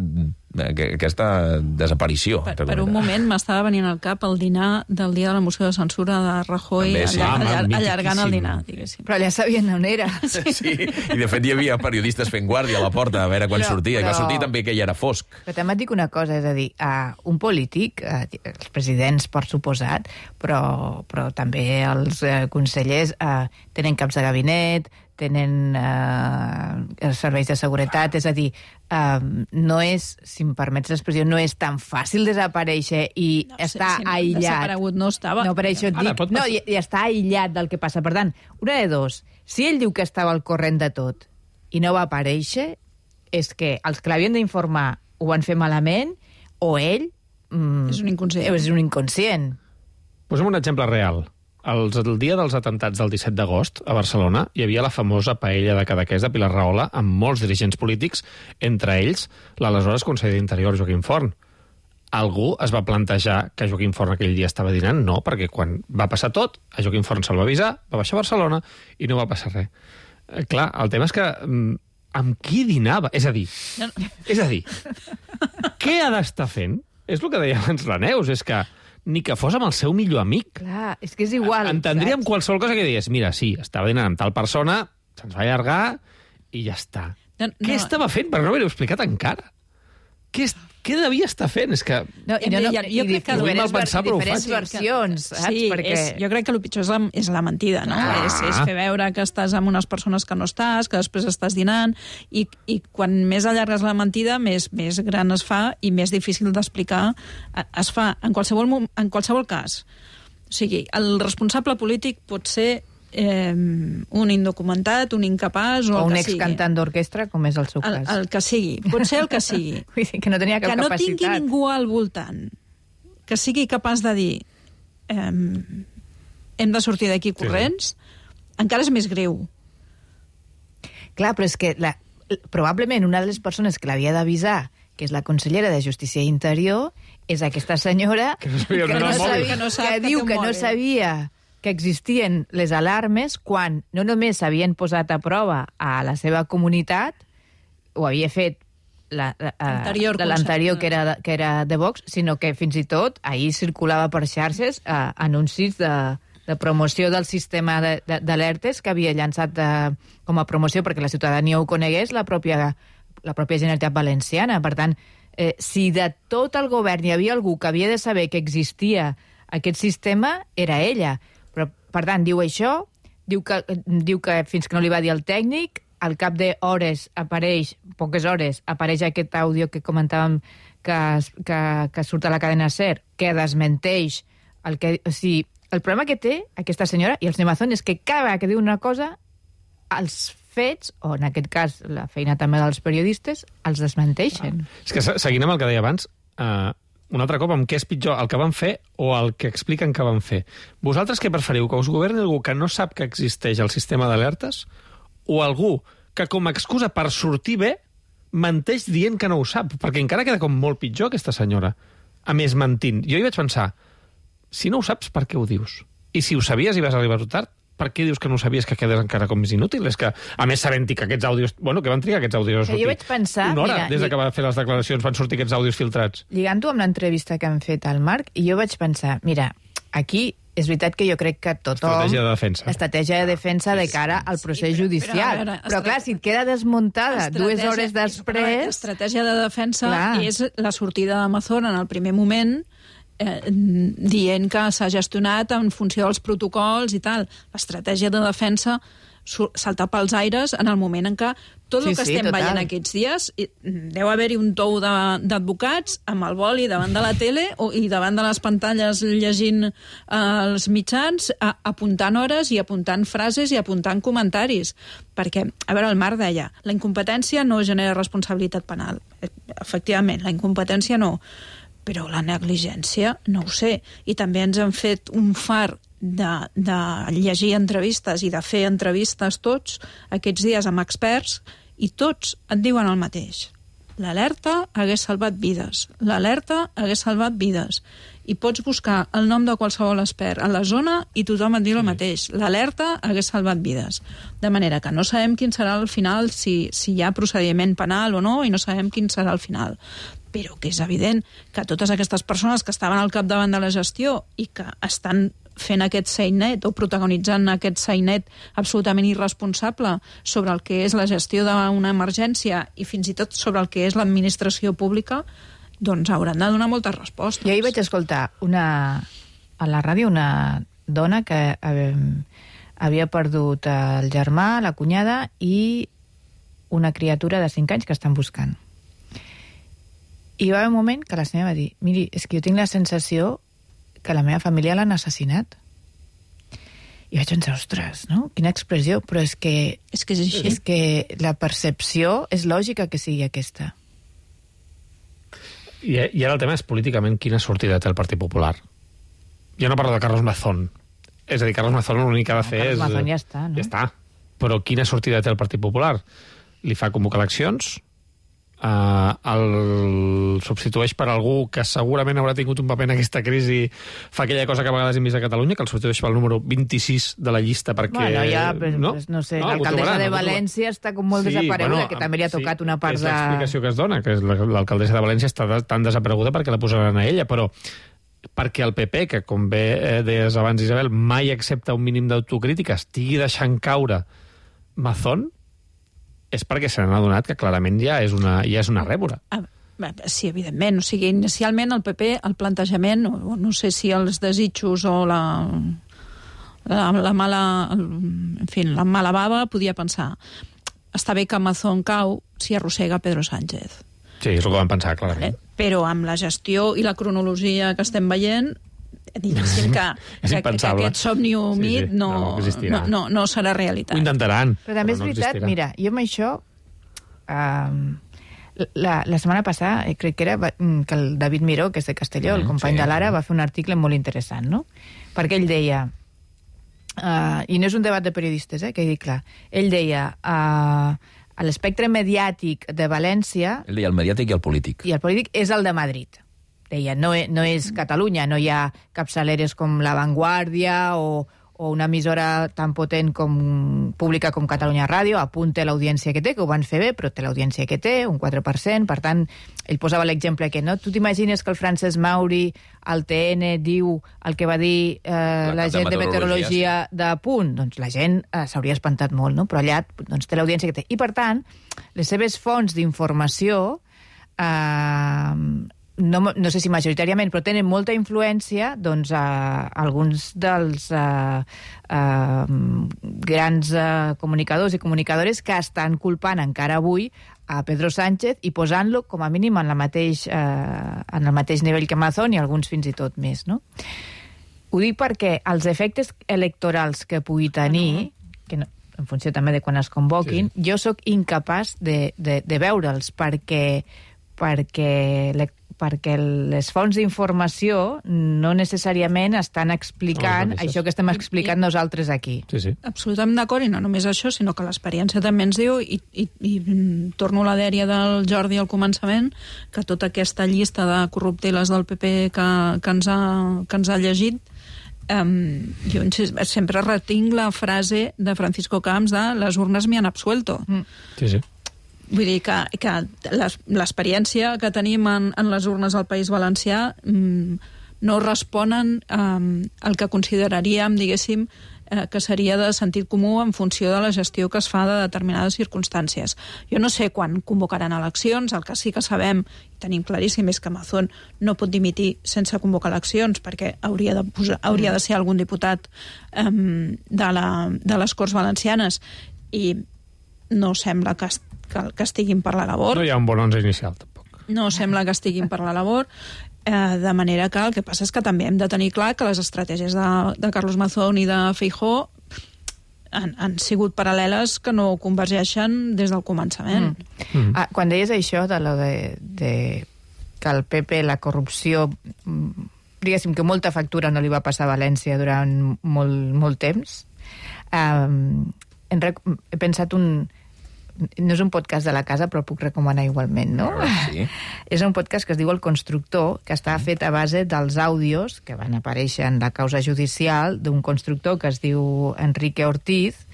S1: aquesta desaparició.
S14: Per, per un moment m'estava venint al cap el dinar del dia de la moció de censura de Rajoy,
S1: També, sí.
S14: allar,
S1: Ah,
S14: allar, allargant el dinar, diguéssim.
S13: Però ja sabien on era.
S1: Sí, i de fet hi havia periodistes fent guàrdia a la porta a veure quan
S13: Però-
S1: sortia, i va
S13: però-
S1: sortir també que ja era fosc.
S13: Però també et dic una cosa, és a dir, uh, un polític, uh, els presidents per suposat, però, però també els uh, consellers uh, tenen caps de gabinet, tenen uh, serveis de seguretat, és a dir, uh, no és, si em permets l'expressió, no és tan fàcil desaparèixer i
S14: No,
S13: estar
S14: si, si no,
S13: aïllat.
S14: Desaparegut no estava.
S13: No, per això et
S14: Ara,
S13: dic,
S14: pot
S13: no,
S14: passar.
S13: i, i està aïllat del que passa. Per tant, una de dos, si ell diu que estava al corrent de tot i no va aparèixer, és que els que l'havien d'informar ho van fer malament, o ell... Mm,
S14: és un inconscient.
S13: És un inconscient.
S10: Posem un exemple real. Els, el dia dels atentats del disset d'agost a Barcelona hi havia la famosa paella de Cadaqués de Pilar Rahola amb molts dirigents polítics, entre ells l'aleshores conseller d'Interior Joaquim Forn. Algú es va plantejar que Joaquim Forn aquell dia estava dinant? No, perquè quan va passar tot, a Joaquim Forn se'l va avisar, va baixar a Barcelona i no va passar res. Eh, clar, el tema és que mm, amb qui dinava? És a dir,
S14: No, no.
S10: és a dir, què ha d'estar fent? És el que deia abans la Neus, és que ni que fos amb el seu millor amic.
S13: Clar, és que és igual.
S10: Entendríem
S13: saps?
S10: qualsevol cosa que digués, mira, sí, estava dinant amb tal persona, se'ns va allargar i ja està.
S14: No, no.
S10: Què estava fent? Però no m'ho he explicat encara. Què, és, què devia estar fent? És que...
S13: No, i no, no,
S14: jo, jo
S13: i
S14: crec que
S10: ho hem
S13: diferents,
S10: mal pensat, però ho
S13: diferents
S10: faig.
S13: versions, saps?
S14: Sí,
S13: Perquè...
S14: és, jo crec que el pitjor és la, és la mentida, no?
S10: Ah.
S14: És, és fer veure que estàs amb unes persones que no estàs, que després estàs dinant, i, i quan més allargues la mentida, més, més gran es fa i més difícil d'explicar es fa en qualsevol, mom- en qualsevol cas. O sigui, el responsable polític pot ser eh, un indocumentat, un incapaç o,
S13: O
S14: el
S13: un
S14: que sigui.
S13: excantant d'orquestra, com és el seu
S14: El,
S13: cas.
S14: el que sigui, pot ser el que sigui.
S13: Vull dir que no tenia cap
S14: que no
S13: capacitat.
S14: tingui ningú al voltant que sigui capaç de dir eh, hem de sortir d'aquí corrents, encara és més greu.
S13: Clar, però és que la, probablement una de les persones que l'havia d'avisar, que és la consellera de Justícia i Interior, és aquesta senyora
S10: Que no sabia
S13: que,
S10: on
S13: no
S10: era el mòbil.
S13: sabia,
S14: Que no sap
S13: que
S14: que
S13: diu
S14: té un
S13: que no
S14: mòbil.
S13: sabia que existien les alarmes quan no només s'havien posat a prova a la seva comunitat, ho havia fet la- la-
S14: L'anterior
S13: la- l'anterior
S14: consell.
S13: que, era, de- que era de Vox, sinó que fins i tot ahir circulava per xarxes eh, anuncis de, de promoció del sistema de- de- d'alertes que havia llançat de, com a promoció perquè la ciutadania ho conegués la pròpia, la pròpia Generalitat Valenciana. Per tant, eh, si de tot el govern hi havia algú que havia de saber que existia aquest sistema, era ella. Però, per tant, diu això, diu que, diu que fins que no li va dir el tècnic, al cap d'hores apareix, poques hores, apareix aquest àudio que comentàvem que, es- que, que surt a la cadena SER, que desmenteix el que... O sigui, el problema que té aquesta senyora i el senyor Mazón és que cada vegada que diu una cosa, els fets, o en aquest cas la feina també dels periodistes, els desmenteixen.
S10: És que se- seguint amb el que deia abans, eh, un altre cop, amb què és pitjor, el que van fer o el que expliquen que van fer? Vosaltres què preferiu? Que us governi algú que no sap que existeix el sistema d'alertes o algú que com a excusa per sortir bé menteix dient que no ho sap? Perquè encara queda com molt pitjor aquesta senyora. A més, mentint. Jo hi vaig pensar, si no ho saps, per què ho dius? I si ho sabies i vas arribar tard, per què dius que no ho sabies, que quedes encara com més inútil? És que, a més, sabent que aquests àudios... Bueno, que van trigar aquests àudios a
S13: Que
S10: sortir.
S13: jo vaig pensar,
S10: Una hora
S13: mira,
S10: des de
S13: i-
S10: que va fer les declaracions van sortir aquests àudios filtrats.
S13: Lligant-ho amb l'entrevista que han fet al Marc, i jo vaig pensar, mira, aquí és veritat que jo crec que tothom...
S10: Estratègia de defensa.
S13: Estratègia de defensa de cara al procés
S14: però-
S13: judicial.
S14: però, a veure,
S13: Però, clar, si et queda desmuntada dues hores
S14: Però
S13: després...
S14: L'estratègia de defensa
S13: Clar.
S14: és la sortida d'Amazon en el primer moment eh, dient que s'ha gestionat en funció dels protocols i tal. L'estratègia de defensa su- saltar pels aires en el moment en què tot
S13: Sí,
S14: el que
S13: sí,
S14: estem
S13: total.
S14: veient aquests dies i, mm, deu haver-hi un tou de- d'advocats amb el boli davant de la tele o, i davant de les pantalles llegint eh, els mitjans, a, apuntant hores i apuntant frases i apuntant comentaris. Perquè, a veure, el Marc deia, la incompetència no genera responsabilitat penal. Eh, Efectivament, la incompetència no. Però la negligència, no ho sé. I també ens han fet un far de, de llegir entrevistes i de fer entrevistes tots aquests dies amb experts i tots et diuen el mateix. L'alerta hagués salvat vides. L'alerta hagués salvat vides. I pots buscar el nom de qualsevol expert a la zona i tothom et diu el mateix. L'alerta hagués salvat vides. De manera que no sabem quin serà el final, si, si hi ha procediment penal o no, i no sabem quin serà el final. però que és evident que totes aquestes persones que estaven al capdavant de la gestió i que estan fent aquest sainet o protagonitzant aquest sainet absolutament irresponsable sobre el que és la gestió d'una emergència i fins i tot sobre el que és l'administració pública, doncs hauran de donar moltes respostes.
S13: Jo ahir vaig escoltar una, a la ràdio una dona que eh, havia perdut el germà, la cunyada i una criatura de cinc anys que estan buscant. I va haver un moment que la senyora va dir, miri, és que jo tinc la sensació que la meva família l'han assassinat. I vaig pensar, ostres, no? Quina expressió, però és que...
S14: És que és així.
S13: És que la percepció és lògica que sigui aquesta.
S10: I, I ara el tema és políticament quina sortida té el Partit Popular. Jo no parlo de Carlos Mazón. És a dir, Carlos Mazón l'únic que ha de fer
S13: Carlos
S10: és...
S13: Mazón ja està, no?
S10: Ja està. Però quina sortida té el Partit Popular? Li fa convocar eleccions, Uh, el substitueix per algú que segurament haurà tingut un paper en aquesta crisi, fa aquella cosa que a vegades hem vist a Catalunya, que el substitueix pel número vint-i-sis de la llista perquè...
S13: Bueno, ja, però, no? no sé, no, l'alcaldessa de València està com molt sí, desapareguda, bueno, que també li ha tocat sí, una part de...
S10: És l'explicació que es dona, que l'alcaldessa de València està tan desapareguda perquè la posaran a ella, però perquè el P P, que com bé eh, deies abans, Isabel, mai accepta un mínim d'autocrítica, estigui deixant caure Mazón, és perquè se n'han adonat que clarament ja és una, ja és una rèmora.
S14: Sí, evidentment. O sigui, inicialment el P P, el plantejament, o no sé si els desitjos o la, la, la mala... En fi, la mala bava podia pensar està bé que Mazón cau si arrossega Pedro Sánchez.
S10: Sí, és el que van pensar, clarament.
S14: Vale? Però amb la gestió i la cronologia que estem veient, diguéssim que, que, que aquest somni humit sí, sí. no, no, no, no, no serà realitat.
S10: Ho intentaran.
S13: Però també és
S10: no
S13: veritat,
S10: existirà.
S13: Mira, jo amb això... Um, la, la setmana passada, eh, crec que era que el David Miró, que és de Castelló, mm, el company sí, de l'Ara, va fer un article molt interessant, no? Perquè ell deia... Uh, I no és un debat de periodistes, eh, que dic clar. Ell deia... Uh, a l'espectre mediàtic de València...
S1: Ell deia el mediàtic i el polític.
S13: I el polític és el de Madrid. Deia, no, no és Catalunya, no hi ha capçaleres com La Vanguardia o, o una emissora tan potent com pública com Catalunya Ràdio, apunta l'audiència que té, que ho van fer bé, però té l'audiència que té, un quatre per cent, per tant, ell posava l'exemple que no. Tu t'imagines que el Francesc Mauri al T N diu el que va dir eh, la, la gent de meteorologia sí. de Punt? Doncs la gent eh, s'hauria espantat molt, no? Però allà doncs, té l'audiència que té. I, per tant, les seves fonts d'informació eh, No, no sé si majoritàriament, però tenen molta influència doncs, a alguns dels uh, uh, grans uh, comunicadors i comunicadores que estan culpant encara avui a Pedro Sánchez i posant-lo com a mínim en, la mateix, uh, en el mateix nivell que Mazón i alguns fins i tot més. No? Ho dic perquè els efectes electorals que pugui tenir, que no, en funció també de quan es convoquin, sí. jo sóc incapaç de, de, de veure'ls perquè, perquè perquè les fonts d'informació no necessàriament estan explicant no, això que estem explicant I, nosaltres aquí.
S10: Sí, sí.
S14: Absolutament d'acord, i no només això, sinó que l'experiència també ens diu, i, i, i torno a la dèria del Jordi al començament, que tota aquesta llista de corrupteles del P P que, que, ens, ha, que ens ha llegit, um, jo sempre retinc la frase de Francisco Camps de «les urnes me han absuelto».
S10: Mm. Sí, sí.
S14: Vull dir que, que l'experiència que tenim en, en les urnes al País Valencià mmm, no responen um, al que consideraríem, diguéssim, eh, que seria de sentit comú en funció de la gestió que es fa de determinades circumstàncies. Jo no sé quan convocaran eleccions, el que sí que sabem, i tenim claríssim, és que Mazón no pot dimitir sense convocar eleccions, perquè hauria de, posar, hauria de ser algun diputat um, de, la, de les Corts Valencianes, i no sembla que Que, que estiguin per la labor.
S10: No hi ha un bon onze inicial, tampoc.
S14: No sembla que estiguin per la labor, eh, de manera que el que passa és que també hem de tenir clar que les estratègies de, de Carlos Mazón i de Feijóo han, han sigut paral·leles que no convergeixen des del començament.
S13: Mm. Mm. Ah, quan deies això de lo de, de que el P P, la corrupció, diguéssim que molta factura no li va passar a València durant molt, molt temps, um, he pensat un... No és un podcast de la casa, però el puc recomanar igualment, no?
S1: Sí.
S13: És un podcast que es diu El Constructor, que està fet a base dels àudios que van aparèixer en la causa judicial d'un constructor que es diu Enrique Ortiz,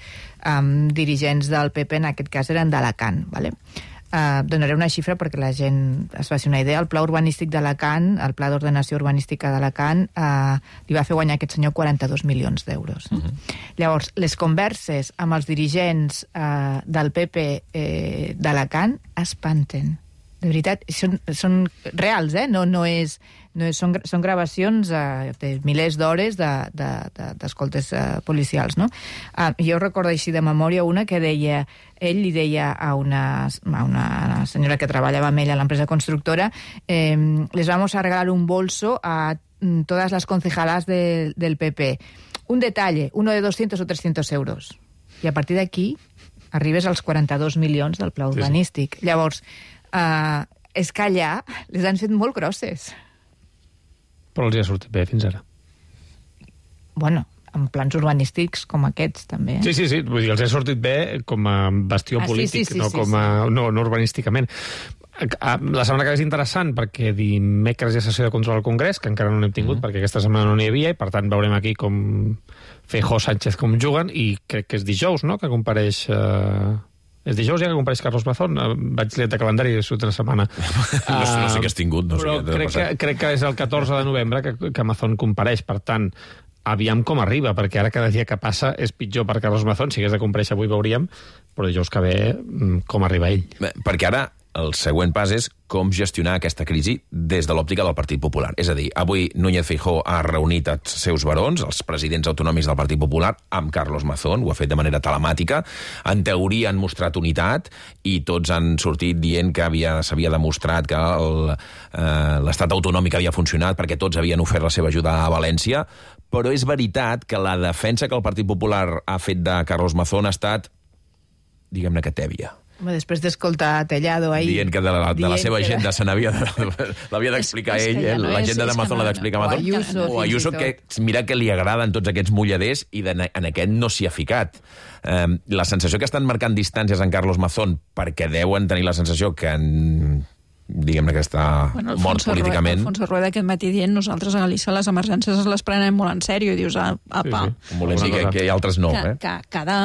S13: amb dirigents del P P, en aquest cas eren d'Alacant, ¿vale? Uh, donaré una xifra perquè la gent es faci una idea. El pla urbanístic d'Alacant, el pla d'ordenació urbanística d'Alacant, uh, li va fer guanyar aquest senyor quaranta-dos milions d'euros. Uh-huh. Llavors, les converses amb els dirigents uh, del P P eh, d'Alacant espanten. De veritat, són, són reals, eh? No, no és, no és, són, són gravacions uh, de milers d'hores d'escoltes de, de, uh, policials, no? Uh, jo recordo així de memòria una que deia, ell li deia a una, a una senyora que treballava amb ell a l'empresa constructora, eh, les vamos a regalar un bolso a todas las concejalas de, del P P. Un detalle, uno de doscientos o trescientos euros. I a partir d'aquí arribes als quaranta-dos milions del pla urbanístic. Sí, sí. Llavors, Uh, és que allà les han fet molt grosses.
S10: Però els hi ha sortit bé fins ara.
S13: Bueno, en plans urbanístics com aquests, també. Eh?
S10: Sí, sí, sí, vull dir, els ha sortit bé com a bastió ah, polític, sí, sí, sí, no, sí, com a, sí. no, no urbanísticament. La setmana que ve és interessant perquè dimecres hi ha sessió de control al Congrés, que encara no n'hem tingut mm. perquè aquesta setmana no n'hi havia, i per tant veurem aquí com Feijóo, Sánchez com juguen, i crec que és dijous, no?, que compareix... Uh... És dijous ja que compareix Carlos Mazón. Vaig liat de calendari i surt una setmana.
S1: no, no sé què has tingut. No
S10: però
S1: sé què
S10: crec, que, crec que és el catorze de novembre que, que Mazón compareix. Per tant, aviam com arriba, perquè ara cada dia que passa és pitjor per Carlos Mazón. Si hagués de comparèixer avui veuríem, però dijous que ve com arriba ell.
S1: Bé, perquè ara el següent pas és com gestionar aquesta crisi des de l'òptica del Partit Popular. És a dir, avui Núñez Feijóo ha reunit els seus barons, els presidents autonòmics del Partit Popular, amb Carlos Mazón, ho ha fet de manera telemàtica. En teoria han mostrat unitat i tots han sortit dient que s'havia demostrat que l'estat eh, autonòmic havia funcionat perquè tots havien ofert la seva ajuda a València, però és veritat que la defensa que el Partit Popular ha fet de Carlos Mazón ha estat, diguem-ne que tèbia.
S13: Després d'escoltar Tellado ahir...
S1: Dient que de la, de la seva agenda se n'havia l'havia d'explicar ell, eh? L'agenda de Mazón l'ha d'explicar Mazón.
S13: O Ayuso,
S1: o Ayuso, que mira que li agraden tots aquests mulladers i de, en aquest no s'hi ha ficat. Eh, la sensació que estan marcant distàncies en Carlos Mazón perquè deuen tenir la sensació que en... diguem-ne que està bueno, mort políticament.
S14: Alfonso Rueda aquest matí dient nosaltres a Galícia les emergències les prenem molt en sèrio i dius, apa...
S1: Sí, sí. Volem dir que, que altres no,
S14: que,
S1: eh?
S14: Que cada,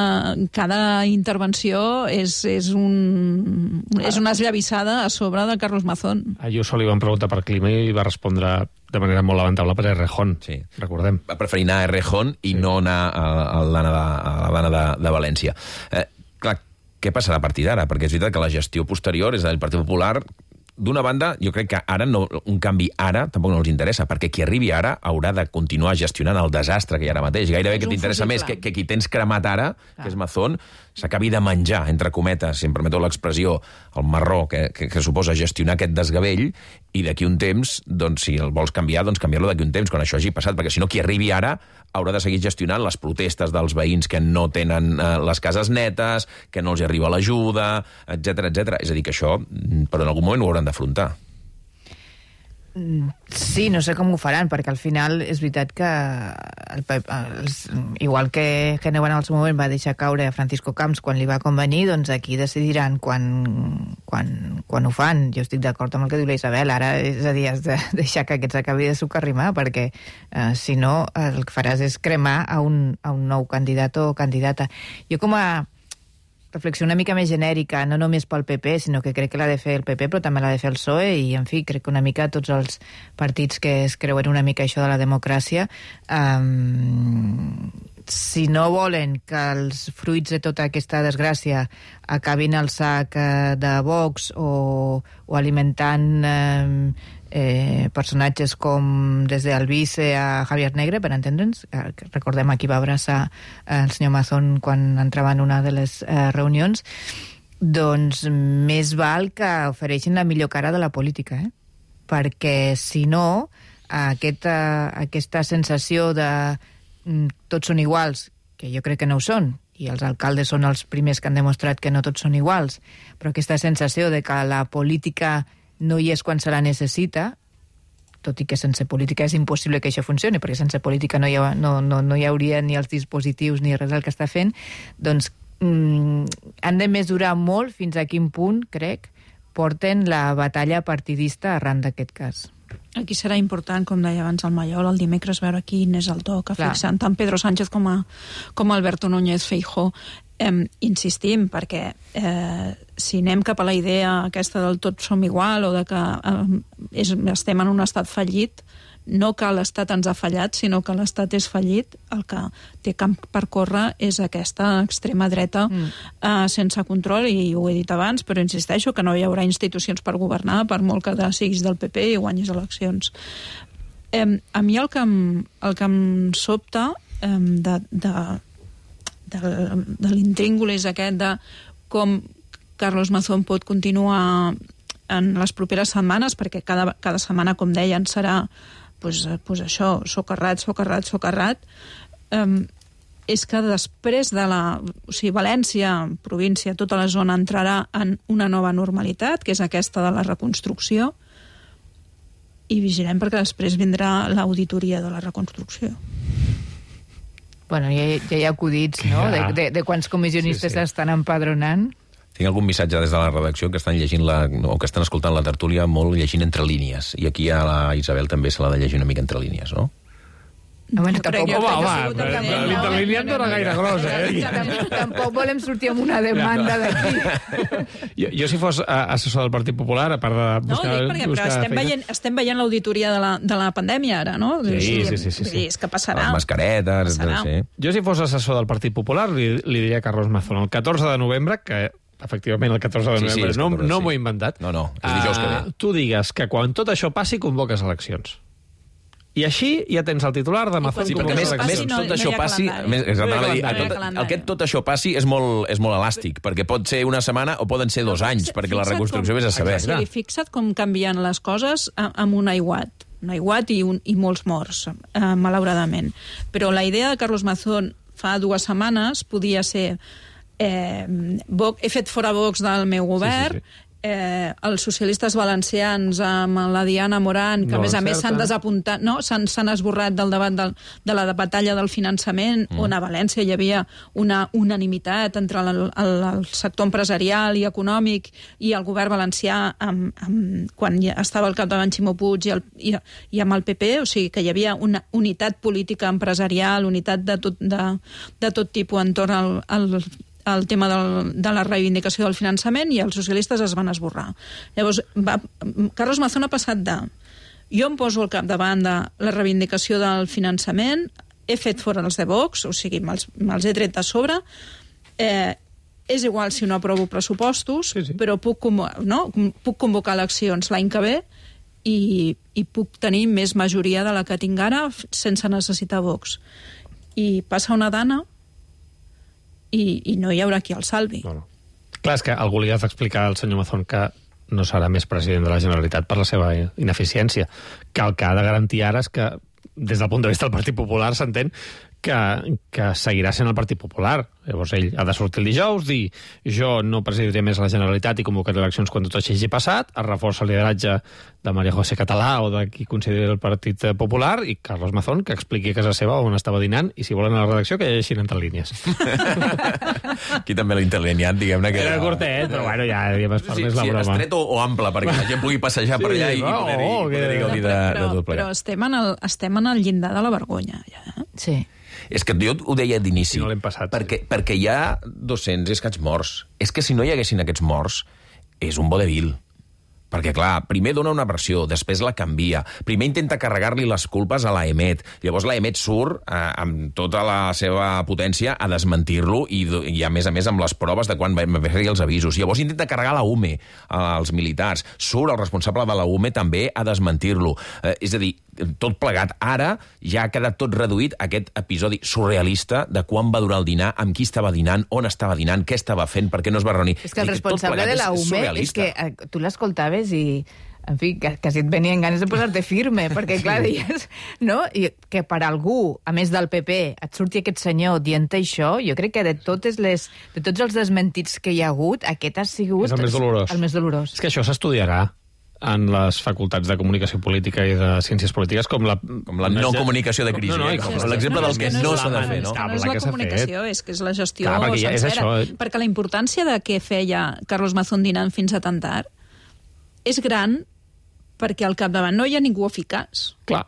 S14: cada intervenció és, és, un, és una esllavissada a sobre de Carlos Mazón.
S10: A Ayuso li van preguntar per clima i va respondre de manera molt lamentable per Errejón, sí. Recordem.
S1: Va preferir anar a Errejón i sí. no anar a, a l'Anna de, a l'Anna de, de València. Eh, clar, què passarà a partir d'ara? Perquè és veritat que la gestió posterior és del Partit Popular. D'una banda, jo crec que ara no, un canvi ara tampoc no els interessa, perquè qui arribi ara haurà de continuar gestionant el desastre que hi ha ara mateix. Gairebé que t'interessa més que, que qui tens cremat ara, ah. que és Mazón, s'acabi de menjar, entre cometes, si em permeteu l'expressió, el marró que, que, que suposa gestionar aquest desgavell, i d'aquí un temps, doncs, si el vols canviar, doncs canviar-lo d'aquí un temps, quan això hagi passat, perquè si no, qui arribi ara haurà de seguir gestionant les protestes dels veïns que no tenen eh, les cases netes, que no els arriba l'ajuda, etcètera, etcètera. És a dir, que això, però en algun moment ho hauran d'afrontar.
S13: Sí, no sé com ho faran, perquè al final és veritat que el, els, igual que Génova en el seu moment va deixar caure a Francisco Camps quan li va convenir, doncs aquí decidiran quan, quan, quan ho fan. Jo estic d'acord amb el que diu la Isabel, ara és a dir, has de deixar que aquest s'acabi de sucarrimar, perquè eh, si no el que faràs és cremar a un, a un nou candidat o candidata. Jo com a reflexió una mica més genèrica, no només pel P P, sinó que crec que l'ha de fer el P P, però també l'ha de fer el P S O E, i, en fi, crec que una mica tots els partits que es creuen una mica això de la democràcia, um, si no volen que els fruits de tota aquesta desgràcia acabin al sac de Vox o, o alimentant eh, eh, personatges com des d'Albice a Javier Negre, per entendre'ns, eh, recordem a qui va abraçar eh, el senyor Mazón quan entrava en una de les eh, reunions, doncs més val que ofereixin la millor cara de la política, eh? Perquè si no, aquesta, aquesta sensació de tots són iguals, que jo crec que no ho són, i els alcaldes són els primers que han demostrat que no tots són iguals, però aquesta sensació de que la política no hi és quan se la necessita, tot i que sense política és impossible que això funcioni, perquè sense política no hi, ha, no, no, no hi hauria ni els dispositius ni res del que està fent, doncs mm, han de mesurar molt fins a quin punt, crec, porten la batalla partidista arran d'aquest cas.
S14: Aquí serà important, com deia abans el Mallol, el dimecres veure quin és el to que fixen tant Pedro Sánchez com, a, com Alberto Núñez Feijóo. eh, insistim, perquè eh, si anem cap a la idea aquesta del tot som igual o de que eh, és, estem en un estat fallit, no que l'Estat ens ha fallat, sinó que l'Estat és fallit, el que té camp per córrer és aquesta extrema dreta mm. eh, sense control, i ho he dit abans, però insisteixo que no hi haurà institucions per governar, per molt que siguis del P P i guanyis eleccions. Eh, a mi el que em, el que em sobta eh, de, de, de, de l'intríngulis aquest de com Carlos Mazón pot continuar en les properes setmanes, perquè cada, cada setmana, com deien, serà pues, pues això, socarrat, socarrat, socarrat, um, és que després de la... O sigui, València, província, tota la zona entrarà en una nova normalitat, que és aquesta de la reconstrucció, i vigilem perquè després vindrà l'auditoria de la reconstrucció.
S13: Bueno, ja, ja hi ha acudits, no?, de, de, de quants comissionistes sí, sí. estan empadronant.
S1: Tinc algun missatge des de la redacció que estan llegint la, o que estan escoltant la tertúlia molt llegint entre línies. I aquí a la Isabel també se l'ha de llegir una mica entre línies, no?
S13: No, bueno, tampoc,
S10: home, home, l'interlínia no era gaire gros, eh?
S13: Tampoc volem sortir amb una demanda d'aquí.
S10: Jo, jo si fos assessor del Partit Popular, a part de buscar...
S14: No, dic perquè però estem veient, estem veient l'auditoria de, la, de la pandèmia ara, no?
S10: Sí, sí, sí. sí, sí.
S14: És que passarà.
S1: Les mascaretes...
S14: Passarà.
S1: Sí.
S10: Jo si fos assessor del Partit Popular li, li diria a Carlos Mazón el catorze de novembre, que efectivament el catorze de novembre, sí, sí, no, catorze, no m'ho he inventat.
S1: No, no, és dijous que ve.
S10: Uh, tu digues que quan tot això passi convoques eleccions. I així ja tens el titular de Mazón.
S1: Sí, perquè més, més no, tot això no passi... Més, no dir, tot, el que tot això passi és molt, és molt elàstic, perquè pot ser una setmana o poden ser dos anys, perquè la reconstrucció vés a saber.
S14: Sí, fixa't com canvien les coses amb un aiguat. Un aiguat i, un, i molts morts, eh, malauradament. Però la idea de Carlos Mazón fa dues setmanes podia ser eh, Vox, he fet fora Vox del meu govern, sí, sí, sí. Eh, els socialistes valencians amb la Diana Morant, que no, a més a més s'han desapuntat, no, s'han esborrat del debat del, de la batalla del finançament, mm. on a València hi havia una unanimitat entre el, el, el sector empresarial i econòmic i el govern valencià amb, amb, quan estava al capdavant Ximo Puig i, el, i, i amb el P P, o sigui que hi havia una unitat política empresarial, unitat de tot, de, de tot tipus entorn al, al el tema del, de la reivindicació del finançament, i els socialistes es van esborrar. Llavors, va, Carlos Mazón ha passat de jo em poso al capdavant de la reivindicació del finançament, he fet fora els de Vox, o sigui, me'ls, me'ls he tret de sobre, eh, és igual si no aprovo pressupostos, sí, sí. però puc, no, puc convocar eleccions l'any que ve i, i puc tenir més majoria de la que tinc ara sense necessitar Vox. I passa una dana I, i no hi haurà qui el salvi.
S10: No, no. Clar, és que algú li ha d'explicar al senyor Mazón que no serà més president de la Generalitat per la seva ineficiència, que el que ha de garantir ara és que, des del punt de vista del Partit Popular, s'entén que, que seguirà sent el Partit Popular. Llavors ell ha de sortir el dijous, dir jo no presidiré més la Generalitat i convocaré eleccions quan tot això hagi passat, es reforça el lideratge de María José Català o de qui consideri el Partit Popular, i Carlos Mazón que expliqui a casa seva on estava dinant, i si volen a la redacció que llegeixin entre línies.
S1: Aquí també l'interlineat, diguem-ne que...
S10: Era curtet, però bueno, ja havíem espart
S1: sí,
S10: més la
S1: sí,
S10: broma.
S1: Estret o, o ample, perquè la gent pugui passejar sí, per allà i, no, i poder-hi oh, poder gaudir de,
S14: però,
S1: de tot plegat.
S14: Però estem en, el, estem en el llindar de la vergonya, ja.
S13: Sí.
S1: És que jo ho deia d'inici,
S10: no l'hem passat,
S1: perquè, sí. perquè hi ha dos-cents i escaig morts. És que si no hi haguessin aquests morts, és un vodevil. Perquè, clar, primer dona una versió, després la canvia, primer intenta carregar-li les culpes a l'AEMET, llavors l'AEMET surt eh, amb tota la seva potència a desmentir-lo i, i, a més a més, amb les proves de quan va fer els avisos. Llavors intenta carregar la U M E als militars, surt el responsable de la U M E també a desmentir-lo. Eh, és a dir, tot plegat. Ara ja ha quedat tot reduït a aquest episodi surrealista de quan va durar el dinar, amb qui estava dinant, on estava dinant, què estava fent, per què no es va reunir.
S13: És que el responsable de la U M E és que tu l'escoltaves i, en fi, quasi et venien ganes de posar-te firme, perquè, clar, deies, no? I que per algú, a més del P P, et surti aquest senyor dient això, jo crec que de totes les, de tots els desmentits que hi ha hagut, aquest ha sigut...
S10: És el més dolorós.
S13: El més dolorós.
S10: És que això s'estudiarà en les facultats de comunicació política i de ciències polítiques, com la...
S1: Com la no comunicació de crisi, no, no,
S10: eh? Com l'exemple del que no s'ha de fer, no?
S14: No és la comunicació, és que és la gestió
S10: Clar,
S14: sencera.
S10: És això.
S14: Perquè la importància de què feia Carlos Mazón dinant fins a tan tard és gran, perquè al capdavant no hi ha ningú eficaç.
S10: Clar.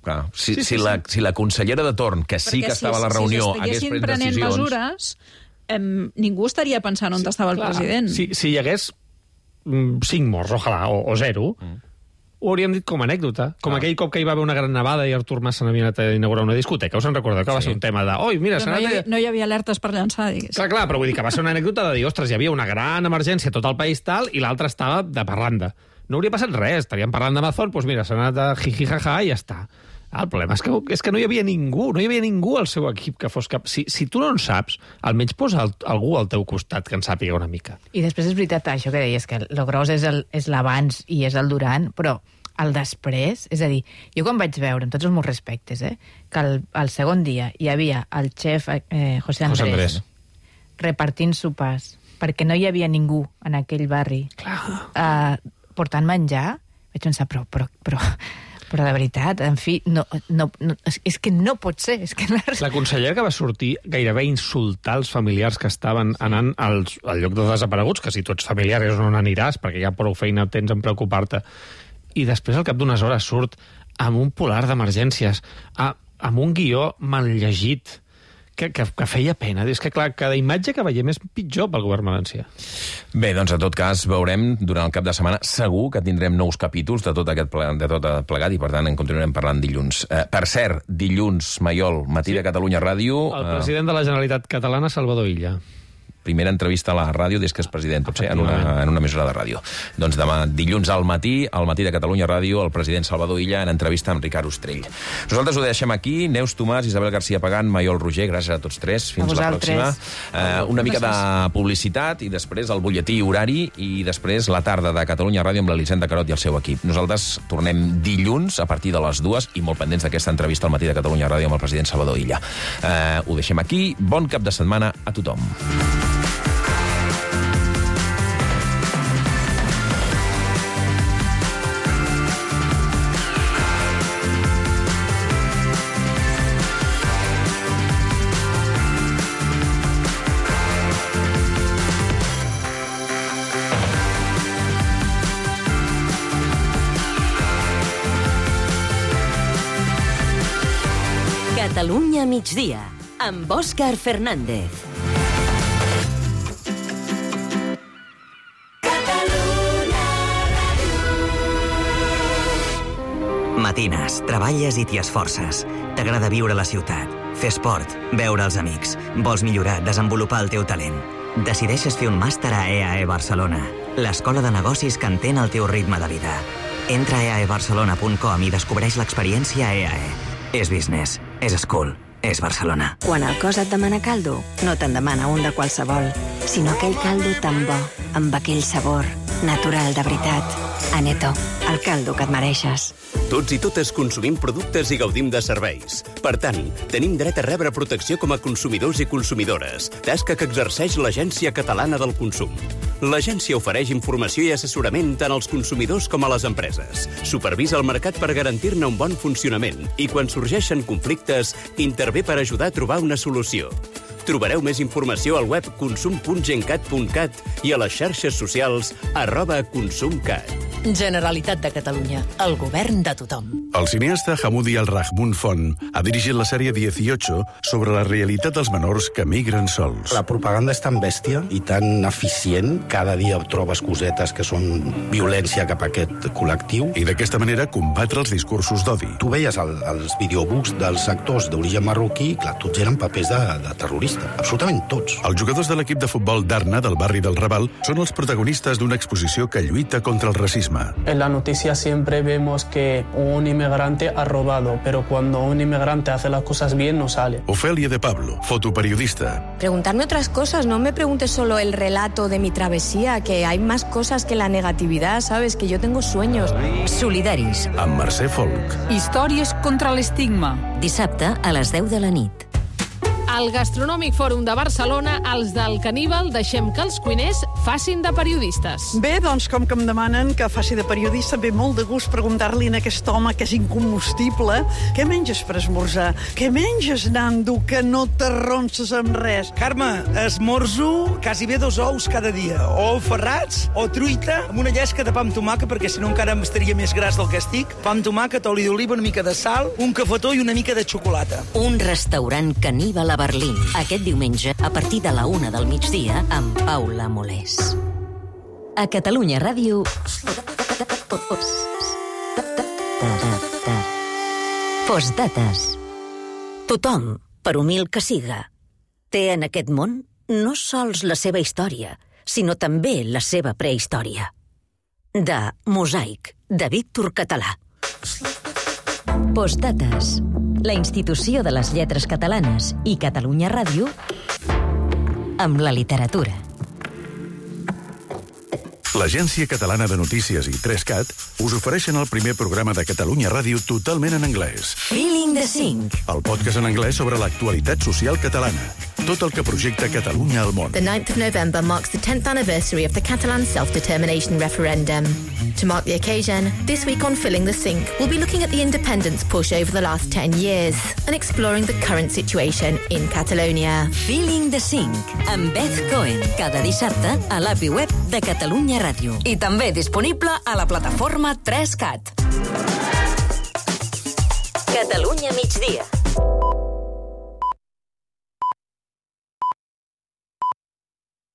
S1: Clar. Si,
S10: sí, sí,
S1: si, la, si la consellera de torn, que sí
S14: perquè
S1: que estava
S14: si,
S1: a la reunió,
S14: si
S1: hagués pres
S14: prenent
S1: decisions...
S14: mesures, em, ningú estaria pensant on sí, estava el clar. president.
S10: Si, si hi hagués mm, cinc morts, ojalà, o, o zero, mm. ho hauríem dit com a anècdota. Com ah. aquell cop que hi va haver una gran nevada i Artur Mas se n'havia anat a inaugurar una discoteca. Us en recordeu que sí. va ser un tema de... Oi, mira,
S14: no, hi havia, no hi havia alertes per llançar, diguéssim.
S10: Clar, clar, però vull dir que va ser una anècdota de dir, ostres, hi havia una gran emergència a tot el país tal, i l'altre estava de parranda. No hauria passat res, estaríem parlant d'Amazon, doncs mira, s'ha anat a jiji-jaja i ja està. El problema és que, és que no hi havia ningú, no hi havia ningú al seu equip que fos cap... Si, si tu no en saps, almenys posa el, algú al teu costat que en sàpiga una mica.
S13: I després és veritat això que deies, que el gros és el, és l'abans i és el durant, però el després, és a dir, jo quan vaig veure, amb tots els meus respectes, eh, que el, el segon dia hi havia el xef eh, José Andrés, José Andrés repartint sopars, perquè no hi havia ningú en aquell barri eh, portant menjar, vaig pensar, però, però, però, però de veritat, en fi, no, no, no, és que no pot ser. És que la...
S10: la consellera que va sortir gairebé a insultar els familiars que estaven anant als, al lloc de desapareguts, que si tu ets familiar és on aniràs, perquè ja prou feina tens en preocupar-te. I després, al cap d'unes hores, surt amb un polar d'emergències, amb un guió mal llegit, que, que, que feia pena. És que, clar, cada imatge que veiem és pitjor pel govern valencià.
S1: Bé, doncs, en tot cas, veurem durant el cap de setmana, segur que tindrem nous capítols de tot aquest ple, de tot plegat, i, per tant, en continuarem parlant dilluns. Eh, per cert, dilluns, Maiol, matí sí. de Catalunya Ràdio...
S10: El president de la Generalitat Catalana, Salvador Illa.
S1: Primera entrevista a la ràdio des que és president, pot ser, en una, en una emissora de ràdio. Doncs demà, dilluns al matí, al matí de Catalunya Ràdio, el president Salvador Illa en entrevista amb Ricard Ostrell. Nosaltres ho deixem aquí. Neus Tomàs, Isabel García Pagant, Maiol Roger, gràcies a tots tres. Fins la pròxima. Eh, una mica de publicitat i després el butlletí horari i després la tarda de Catalunya Ràdio amb l'Elisenda Carot i el seu equip. Nosaltres tornem dilluns a partir de les dues i molt pendents d'aquesta entrevista al matí de Catalunya Ràdio amb el president Salvador Illa. Eh, ho deixem aquí. Bon cap de setmana a tothom.
S8: Catalunya migdia, amb Òscar Fernández.
S17: Matines, treballes i t'hi esforces. T'agrada viure a la ciutat, fer esport, veure els amics. Vols millorar, desenvolupar el teu talent. Decideixes fer un màster a E A E Barcelona, l'escola de negocis que entén el teu ritme de vida. Entra a e a e barcelona punt com i descobreix l'experiència E A E. És business, és school, és Barcelona.
S4: Quan el cos et demana caldo, no te'n demana un de qualsevol, sinó aquell caldo tan bo, amb aquell sabor, natural de veritat. Aneto, el caldo que et mereixes.
S22: Tots i totes consumim productes i gaudim de serveis. Per tant, tenim dret a rebre protecció com a consumidors i consumidores, tasca que exerceix l'Agència Catalana del Consum. L'agència ofereix informació i assessorament tant als consumidors com a les empreses. Supervisa el mercat per garantir-ne un bon funcionament i, quan sorgeixen conflictes, intervé per ajudar a trobar una solució. Trobareu més informació al web consum punt gencat punt cat i a les xarxes socials arroba consumcat.
S8: Generalitat de Catalunya, el govern de tothom.
S2: El cineasta Hamoudi Al-Rahmoun Font ha dirigit la sèrie dieciocho sobre la realitat dels menors que migren sols.
S5: La propaganda és tan bèstia i tan eficient, cada dia trobes cosetes que són violència cap a aquest col·lectiu.
S2: I d'aquesta manera combatre els discursos d'odi.
S5: Tu veies el, els videobooks dels actors d'origen marroquí, clar, tots eren papers de, de terrorista, absolutament tots.
S2: Els jugadors de l'equip de futbol d'Arna, del barri del Raval, són els protagonistes d'una exposició que lluita contra el racisme.
S23: En la noticia siempre vemos que un inmigrante ha robado, pero cuando un inmigrante hace las cosas bien no sale.
S2: Ofelia de Pablo, fotoperiodista.
S24: Preguntarme otras cosas, no me preguntes solo el relato de mi travesía, que hay más cosas que la negatividad, ¿sabes? Que yo tengo sueños.
S8: Solidaris.
S2: Amb Mercè Folk.
S25: Històries contra l'estigma.
S8: Dissabte a les deu de la nit.
S25: Al Gastronòmic Fòrum de Barcelona, els del Caníbal deixem que els cuiners
S3: facin de periodistes.
S6: Bé, doncs, com que em demanen que faci de periodista, ve molt de gust preguntar-li a aquest home que és incombustible què menges per esmorzar? Què menges, Nando, que no t'arronses amb res?
S7: Carme, esmorzo quasi bé dos ous cada dia, o ferrats o truita amb una llesca de pa amb tomàquet, perquè si no encara em estaria més gras del que estic. Pa amb tomàquet, oli d'oliva, una mica de sal, un cafetó i una mica de xocolata.
S8: Un restaurant caníbal a Berlín. Aquest diumenge, a partir de la una del migdia, amb Paula Molés. A Catalunya Ràdio... Postdates. Tothom, per humil que siga, té en aquest món no sols la seva història, sinó també la seva prehistòria. De Mosaic, de Víctor Català. Postdates. La institució de les lletres catalanes i Catalunya Ràdio amb la literatura.
S2: L'Agència Catalana de Notícies i tres cat us ofereixen el primer programa de Catalunya Ràdio totalment en anglès.
S8: Feeling the Cinc.
S2: El podcast en anglès sobre l'actualitat social catalana. Tot el que projecta Catalunya al món.
S9: The ninth of November marks the tenth anniversary of the Catalan self-determination referendum. To mark the occasion, this week on Filling the Sink, we'll be looking at the independence push over the last ten years and exploring the current situation in Catalonia.
S8: Feeling the Sink, amb Beth Cohen, cada dissabte a l'A P I web de Catalunya Ràdio.
S25: I també disponible a la plataforma tres cat.
S8: Catalunya migdia.